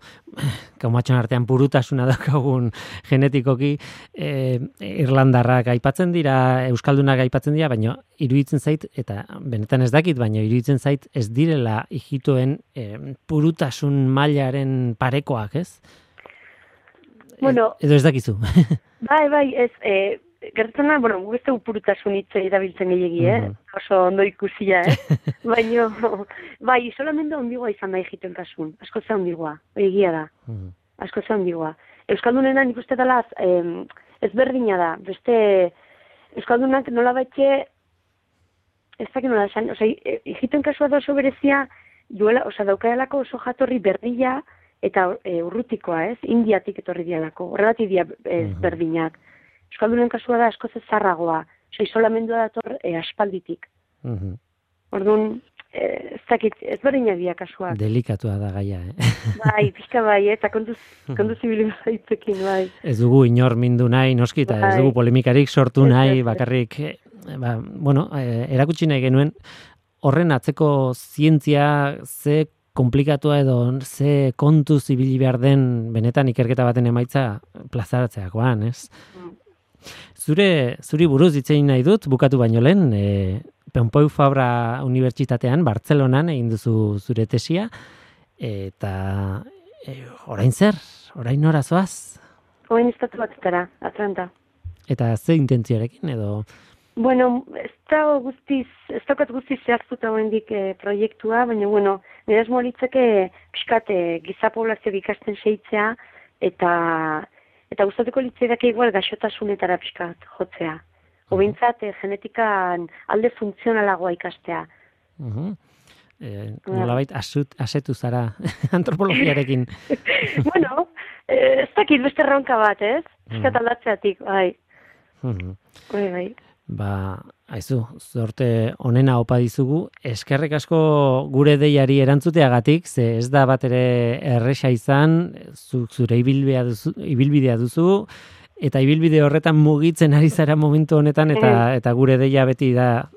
kaumatxon artean purutasuna daukagun genetikoki, e, Irlandarrak aipatzen dira, euskaldunak aipatzen dira, baina iruditzen zait, eta benetan ez dakit, baina iruditzen zait ez direla hijitoen e, purutasun mailaren parekoak, ez? Bueno, Edo ez dakizu. bai, bai, ez, e, gertatzen da, bueno, guk ez dugu purutasun hitz erabiltzen gehiagi, eh? Mhm. Oso ondo ikusia, eh? Baina, bai, isolamendu ondigoa izan da egiten kasun, asko ze ondigoa, hori egia da, Mhm. asko ze ondigoa. Euskaldunena nik uste dela eh, ezberdina da, beste Euskaldunak nola baitxe, ez dakit nola esan, oza, egiten kasua da oso berezia, duela, oza, daukaelako oso jatorri berdila, eta e, urrutikoa, ez? Indiatik etorri dialako, horregatik dia ezberdinak. Euskaldunen kasua da askoz ezarragoa, oza, isolamendua dator e, aspalditik. Mhm. Orduan, e, ez dakit, ezberdinak dia kasuak. Delikatua da gaia, eh? Bai, pixka bai, eta kontuz, kontuz ibili zaitzekin, bai. Ez dugu inor mindu nahi, noski, eta ez Bai. dugu polemikarik sortu Ez, nahi, ez, ez. bakarrik, eh, ba, bueno, eh, erakutsi nahi genuen, horren atzeko zientzia ze komplikatua edo ze kontuz ibili behar den benetan ikerketa baten emaitza plazaratzeakoan, ez? Mm. Zure, zuri buruz hitz egin nahi dut, bukatu baino lehen, e, Pompeu Fabra Unibertsitatean, Bartzelonan egin duzu zure tesia, eta e, orain zer, orain nora zoaz? Orain estatu batetara, Atlanta. Eta ze intentzioarekin edo? Bueno, ez da guztiz, ez daukat guztiz zehaztuta oraindik e, proiektua, baina, bueno, nire asmoa litzake pixkat e, giza poblazio ikasten seitzea, eta eta gustatuko litzaidake igual gaixotasunetara pixkat jotzea. Hobintzat, e, genetikan alde funtzionalagoa ikastea. Uh-huh. E, nolabait asut, asetu zara antropologiarekin. Bueno, e, ez dakit beste erronka bat, ez? Pixkat aldatzeatik, bai. Uh-huh. Bai, bai. Ba, haizu, zorte onena opa dizugu, eskerrik asko gure deiari erantzuteagatik, ze ez da bat ere erresa izan, zuk zure ibilbidea duzu, ibilbidea duzu, eta ibilbide horretan mugitzen ari zara momentu honetan, eta, eta gure deia beti da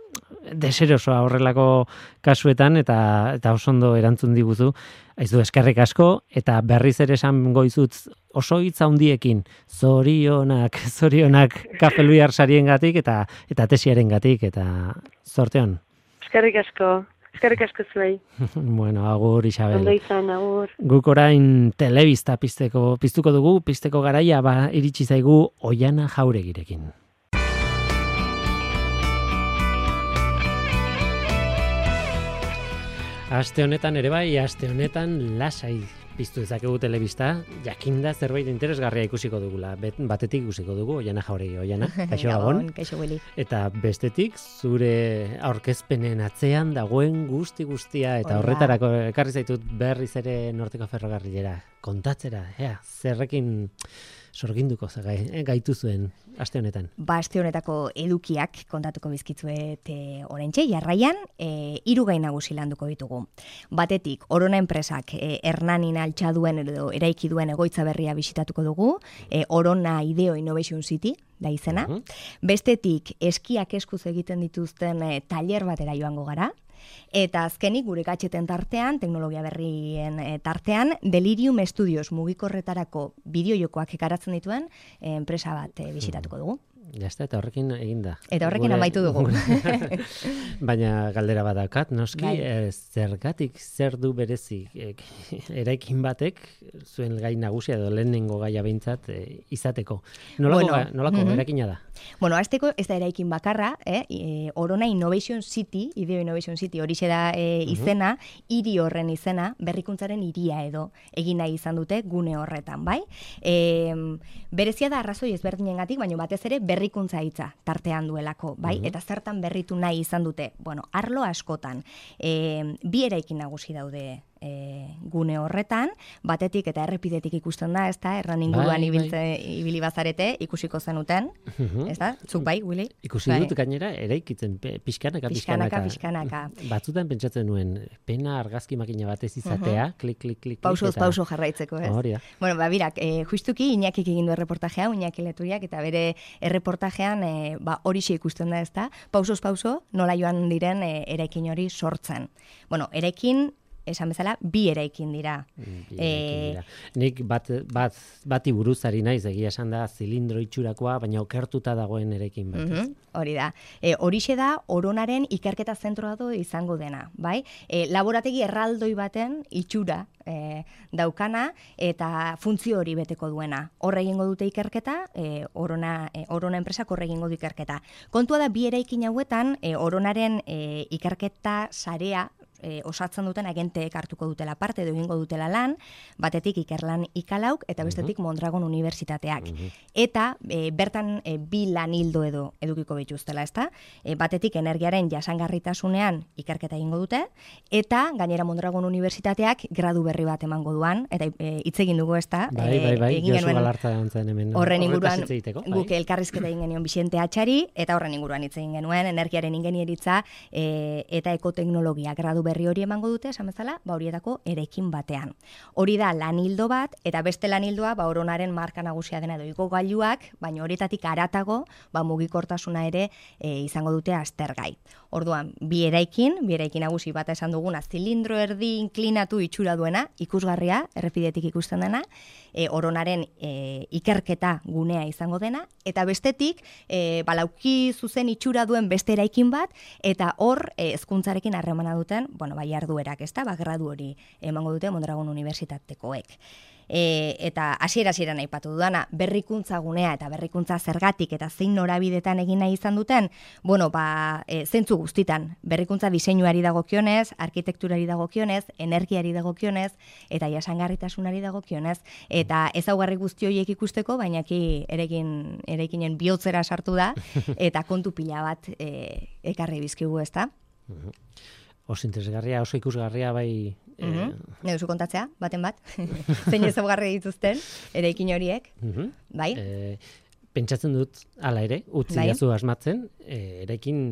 deserosoa horrelako kasuetan, eta, eta oso ondo erantzun diguzu. Haizu, eskerrik asko, eta berriz ere esan goizut oso hitz handiekin, zorionak, zorionak Kafe Luiar sariengatik eta eta tesiarengatik, eta zorteon. Eskerrik asko, eskerrik asko zuei. Bueno, agur, Isabel. Ondo izan, agur. Guk orain telebista pizteko, piztuko dugu, pizteko garaia, ba, iritsi zaigu Oiana Jauregirekin. Aste honetan ere bai, aste honetan lasai piztu dezakegu telebista, jakinda zerbait interesgarria ikusiko dugula. Batetik ikusiko dugu, Oiana Jauregi, Oiana, kaixo gabon. Kaixo Willy. Eta bestetik, zure aurkezpenen atzean dagoen guzti guztia, eta horretarako ekarri zaitut berriz ere Norteko Ferrokarrilera kontatzera, ea, zerrekin sorginduko zagai, gaitu zuen aste honetan. Ba, aste honetako edukiak kontatuko bizkitzuet e, oraintxe, jarraian, e, hiru gai nagusi landuko ditugu. Batetik, Orona enpresak e, Hernanin altxaduen edo eraiki duen egoitza berria bisitatuko dugu, e, Orona Ideo Innovation City, da izena. Uh-huh. Bestetik, eskiak eskuz egiten dituzten e, tailer batera joango gara. Eta azkenik gure gadgeten tartean, teknologia berrien e, tartean, Delirium Studios mugikorretarako bideojokoak ekaratzen dituen e, enpresa bat e, bisitatuko dugu. Ja está, eta horrekin eginda. Eta horrekin gure, amaitu dugu. Baina galdera badakat, noski, bai. e, zergatik zer du berezi e, eraikin batek zuen gai nagusia edo lehenengo gaia behintzat e, izateko. Nolako, bueno, ga, nolako uh-huh. eraikina da? Bueno, azteko ez da eraikin bakarra, eh? E, Orona Innovation City, Ideo Innovation City, hori da e, izena, hiri uh-huh. horren izena, berrikuntzaren hiria edo egin nahi izan dute gune horretan, bai? E, berezia da arrazoi ezberdinengatik, baina batez ere berrikuntza hitza tartean duelako, bai? Uh-huh. Eta zertan berritu nahi izan dute, bueno, arlo askotan, e, bi eraikin nagusi daude E, gune horretan, batetik eta errepidetik ikusten da, ez da, erran inguruan ibiltze, ibili bazarete, ikusiko zenuten, uh-huh. ez da, zuk bai, Willy? Ikusi bai. Dut gainera, eraikitzen, pixkanaka, pixkanaka, pixkanaka. Batzutan pentsatzen nuen, pena argazki makina batez izatea, uh-huh. klik, klik, klik. Pausoz, eta... pauso jarraitzeko, ez? Hori da. Bueno, ba, birak, e, justuki Iñakik egin du erreportajea, Iñaki Leturiak, eta bere erreportajean, e, ba, horixe ikusten da, ez da, pausoz, pauso, nola joan diren e, eraikin hori sortzen. Bueno, eraikin esan bezala, bi eraikin dira. Bi eraikin dira. Nik bat, bat, bati buruzari naiz, egia esan da, zilindro itxurakoa, baina okertuta dagoen eraikin bat. Mm-hmm. Hori da. E, horixe da, Oronaren ikerketa zentroa do izango dena, bai? E, laborategi erraldoi baten itxura e, daukana eta funtzio hori beteko duena. Horre egingo dute ikerketa, e, Orona, e, Orona enpresak horre egingo du ikerketa. Kontua da, bi eraikin hauetan, e, Oronaren e, ikerketa sarea E, osatzen duten agenteek hartuko dutela parte edo egingo dutela lan, batetik Ikerlan Ikalauk eta bestetik uh-huh. Mondragon Unibertsitateak. Uh-huh. Eta e, bertan e, bi lan hildo edo edukiko bituztela, ezta? E, batetik energiaren jasangarritasunean ikerketa egingo dute, eta gainera Mondragon Unibertsitateak gradu berri bat emango duan, eta e, hitz egin dugu, ezta? Bai, bai, bai, Josu Galartza dantzen hemen. Horren inguruan guk elkarrizketa egin genion Bixente Atxari, eta horren inguruan hitz egin genuen, energiaren ingenieritza e, eta ekoteknologia gradu berri hori emango dute, esan bezala, ba horietako eraikin batean. Hori da lan hildo bat, eta beste lan hildoa, ba Oronaren marka nagusia dena edo igogailuak, baina horietatik haratago, ba mugikortasuna ere e, izango dute aztergai. Orduan, bi eraikin, bi eraikin nagusi bata esan duguna, zilindro erdi inklinatu itxura duena, ikusgarria, errepidetik ikusten dena, e, Oronaren e, ikerketa gunea izango dena, eta bestetik, e, balauki zuzen itxura duen beste eraikin bat, eta hor e, hezkuntzarekin harremana duten, bueno, bai jarduerak, ezta, ba gradu hori emango dute Mondragon Unibertsitatekoek. E, eta hasiera-hasieran aipatu dudana, berrikuntza gunea eta berrikuntza zergatik eta zein norabidetan egin nahi izan duten, bueno, ba, e, zentzu guztitan, berrikuntza diseinuari dagokionez, arkitekturari dagokionez, energiari dagokionez, eta jasangarritasunari dagokionez, eta ezaugarri guzti horiek ikusteko, baina ki erekin, erekinen bihotzera sartu da, eta kontu pila bat e, ekarri bizkigu, ezta? Oso interesgarria, oso ikusgarria bai... Mm-hmm. Ne duzu kontatzea, baten bat? Zein ezaugarri dituzten, eraikin horiek, Mm-hmm. bai? E, pentsatzen dut, hala ere, utzi Bai. jazu asmatzen, e, eraikin,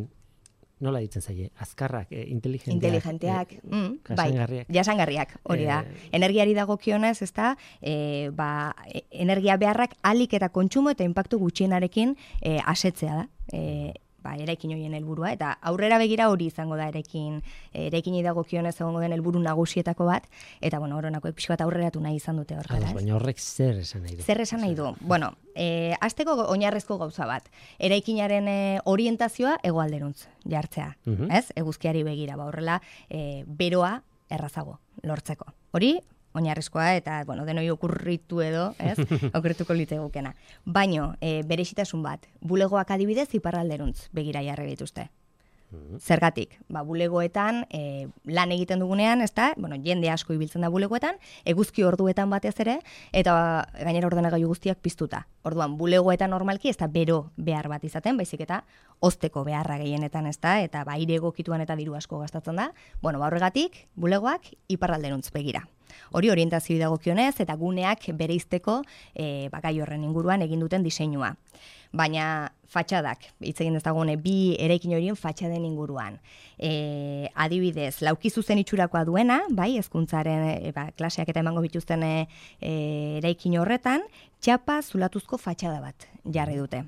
nola ditzen zaie, azkarrak, e, inteligenteak. Inteligenteak, e, mm, bai, jasangarriak. jasangarriak, hori da. Eh, Energiari dagokionez, ez da, e, ba, e- energia beharrak alik eta kontsumo eta inpaktu gutxienarekin e, asetzea da. E, ba, eraikin horien helburua, eta aurrera begira hori izango da eraikin, eraikinei dagokionez egongo den helburu nagusietako bat, eta bueno, Oronakoek pixka bat aurreratu nahi izan dute hortara, Ados, ez? baina horrek zer esan nahi du? Zer esan nahi du? Bueno, e, azteko oinarrezko gauza bat. Eraikinaren e, orientazioa hegoalderuntz jartzea, Mhm. ez? Eguzkiari begira, ba horrela e, beroa errazago lortzeko. Hori oinarrizkoa eta bueno, denoi okurritu edo, ez? Okurrituko litegukena. Baino, e, berezitasun bat, bulegoak adibidez iparralderuntz begira jarri dituzte. Zergatik, ba, bulegoetan e, lan egiten dugunean, ezta? Bueno, jende asko ibiltzen da bulegoetan, eguzki orduetan batez ere, eta gainera ordenagailu guztiak piztuta. Orduan, bulegoetan normalki ez da bero behar bat izaten, baizik eta hozteko beharra gehienetan, ezta? Eta ba, aire egokituan eta diru asko gastatzen da. Bueno, ba, horregatik, bulegoak iparralderuntz begira. Hori orientazio dagokionez eta guneak bereizteko e, ba, gai horren inguruan egin duten diseinua. Baina fatxadak, hitz egin dezagune bi eraikin horien fatxaden inguruan. E, adibidez, lauki zuzen itxurakoa duena, bai, hezkuntzaren e, ba, klaseak eta emango bituzten e, e, eraikin horretan, txapa zulatuzko fatxada bat jarri dute.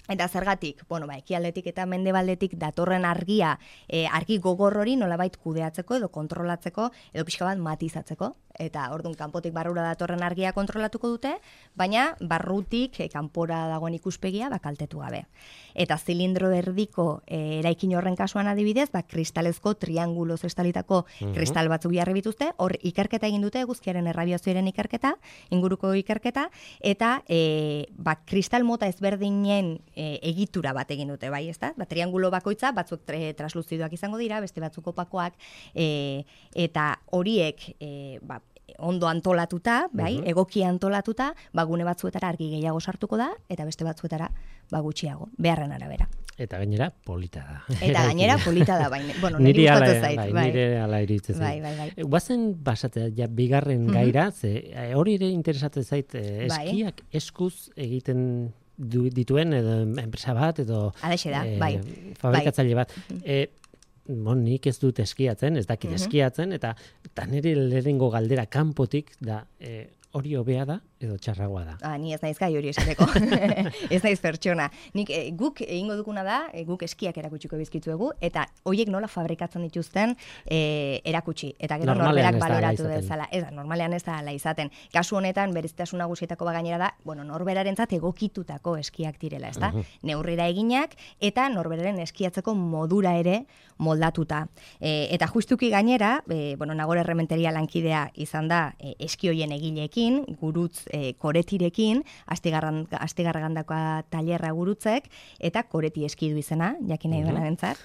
Eta zergatik, bueno, ba, ekialdetik eta mendebaldetik datorren argia, e, argi gogor hori nolabait kudeatzeko edo kontrolatzeko edo pixka bat matizatzeko. Eta orduan kanpotik barrura datorren argia kontrolatuko dute, baina barrutik e, kanpora dagoen ikuspegia ba, kaltetu gabe. Eta zilindro erdiko e, eraikin horren kasuan adibidez, ba, kristalezko trianguloz estalitako Mhm. kristal batzuk jarri bituzte, hor ikerketa egin dute eguzkiaren erradiazioaren ikerketa, inguruko ikerketa, eta e, ba, kristal mota ezberdinen e, egitura bat egin dute, bai, ezta? Ba, triangulo bakoitza, batzuk tre, transluzidoak izango dira, beste batzuk opakoak, e, eta horiek e, ba, ondo antolatuta, bai, Mhm. egoki antolatuta, ba, gune batzuetara argi gehiago sartuko da, eta beste batzuetara ba, gutxiago, beharren arabera. Eta gainera polita da. Eta gainera polita da, baina, bueno, Niri niri ala, gustatzen zait, bai, bai. nire ala iruditzen zait. Bai, bai, bai. E, Guazen basatzea, ja, bigarren Mhm. gaira, ze e, hori ere interesatzen zait, e, Bai. eskiak eskuz egiten du, dituen edo enpresa bat edo Halaxe da, e, bai. fabrikatzaile bat. E, bon, nik ez dut eskiatzen, ez dakit Mhm. eskiatzen, eta, eta nire lehenengo galdera kanpotik da, e, hori hobea da edo txarragoa da. Ah, ni ez naiz gai hori esateko. Ez naiz pertsona. Nik e, guk egingo duguna da, e, guk eskiak erakutsiko bizkitzuegu, eta hoiek nola fabrikatzen dituzten e, erakutsi. Eta gero Normalean norberak ez da hala baloratu izaten. dezala. Ez da, normalean ez da hala izaten. Kasu honetan, berezitasun nagusietako ba gainera da, bueno, norberarentzat egokitutako eskiak direla, ezta? Mhm. Neurrira eginak, eta norberaren eskiatzeko modura ere moldatuta. E, eta justuki gainera, e, bueno, Nagore Errementeria lankidea izan da e, eski hoien egileekin, gurutz e, koretirekin, Astigarran Astigarragandakoa tailerra gurutzek, eta koreti eski du izena, jakin nahi Mhm. duenarentzat.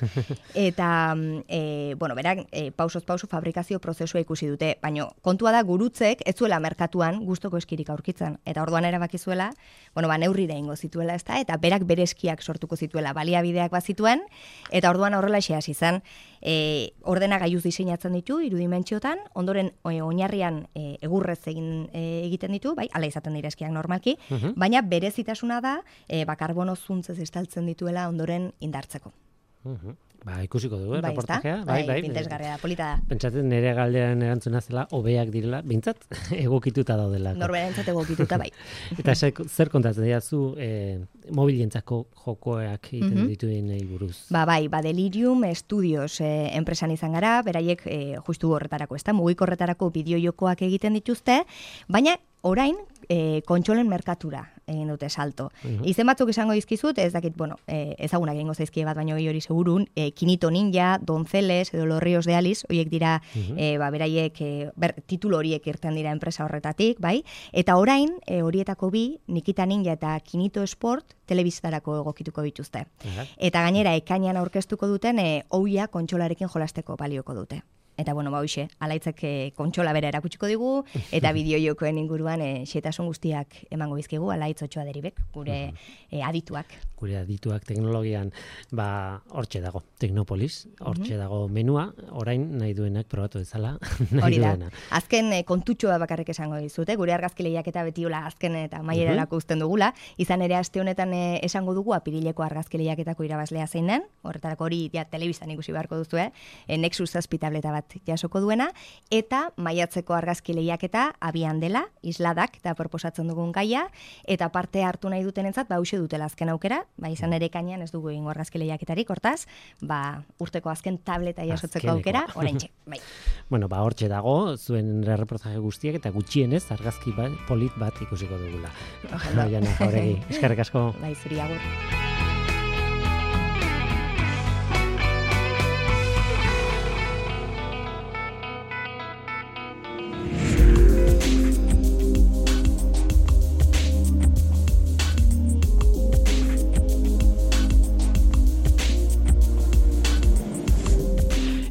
Eta, e, bueno, berak, e, pausoz pauso fabrikazio prozesua ikusi dute, baina kontua da gurutzek ez zuela merkatuan gustoko eskirik aurkitzen. Eta orduan erabaki zuela, bueno, ba, neurrira ingo zituela, ezta, eta berak bere eskiak sortuko zituela, baliabideak bazituen, eta orduan horrela hasi izan, e, ordenagailuz diseinatzen ditu, irudimentsiotan, ondoren e, oinarrian e, egurrez egin e, egiten ditu, bai, hala izaten dira eskiak normalki, Mhm. baina berezitasuna da, e, ba, karbono zuntzez estaltzen dituela ondoren indartzeko. Uh-huh. Ba, ikusiko dugu, eh, bai, reportajea. Bai, bai, bai, interesgarria da, polita da. Pentsatzen nire galdean erantzuna zela, hobeak direla, bintzat, egokituta daudela. Norberentzat egokituta, bai. Eta zer kontatzen diazu, eh, mobilientzako jokoak egiten mm -hmm. dituen buruz? Ba, bai, ba, Delirium Studios eh, enpresan izan gara, beraiek eh, justu horretarako, ez da, mugikorretarako bideo-jokoak egiten dituzte, baina orain, E, kontsolen merkatura egin dute salto. Uh-huh. Izen batzuk izango dizkizut, ez dakit, bueno, e, ezagunak egingo zaizkie bat, baino hori segurun, e, Kinito Ninja, Donceles, edo Los Ríos de Alice, horiek dira, uh-huh. e, ba, beraiek, e, ber, titulo horiek irten dira enpresa horretatik, bai? Eta orain, e, horietako bi, Nikita Ninja eta Kinito Sport, telebiztarako egokituko dituzte. Uh-huh. Eta gainera, ekainan aurkeztuko duten, e, oia kontsolarekin jolasteko balioko dute. Eta, bueno, ba, hoxe, alaitzek e, kontsola bera erakutsiko digu, eta bideojokoen inguruan e, xetasun guztiak emango bizkigu, alaitz otxoa deribek, gure e, adituak. Gure adituak teknologian, ba, hortxe dago, Teknopolis, hortxe dago menua, orain nahi duenak probatu ezala, nahi hori da. duena. Azken e, kontutxoa bakarrik esango dizute, gure argazki lehiaketa beti hola azken eta mailerarako uzten dugula, izan ere aste honetan e, esango dugu apirileko argazki lehiaketako irabazlea zein den, horretarako hori ja, telebistan ikusi beharko duzu, eh? E, Nexus zazpi tableta bat jasoko duena, eta maiatzeko argazki lehiaketa abian dela, isladak, eta proposatzen dugun gaia, eta parte hartu nahi dutenentzat, ba, hause dutela azken aukera, ba, izan ere kainean ez dugu egingo argazki lehiaketarik, hortaz, ba, urteko azken tableta jasotzeko aukera, oraintxe, bai. Bueno, ba, hortxe dago, zuen reportaje guztiak, eta gutxienez argazki bat, polit bat ikusiko dugula. Oiana Jauregi, eskerrik asko. Bai, zuri agur.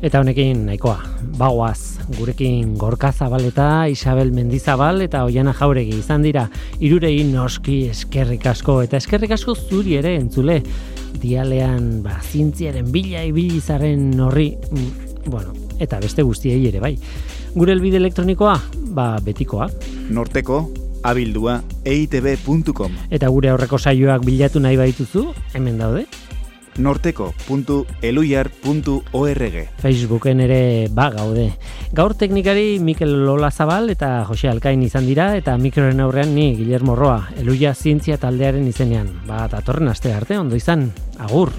Eta honekin nahikoa, bagoaz, gurekin Gorka Zabaleta, Isabel Mendizabal eta Oiana Jauregi izan dira, hirurei noski eskerrik asko, eta eskerrik asko zuri ere entzule, dialean, ba, zientziaren bila ibilizaren horri, bueno, eta beste guztiei ere bai. Gure elbide elektronikoa, ba, betikoa. Norteko, abildua, e i te be puntu com. Eta gure aurreko saioak bilatu nahi baituzu, hemen daude. norteko puntu eluiar puntu org. Facebooken ere ba gaude. Gaur teknikari Mikel Olazabal eta Jose Alkain izan dira, eta mikroren aurrean ni Guillermo Roa, Eluia Zientzia taldearen izenean. Ba, datorren aste arte ondo izan. Agur!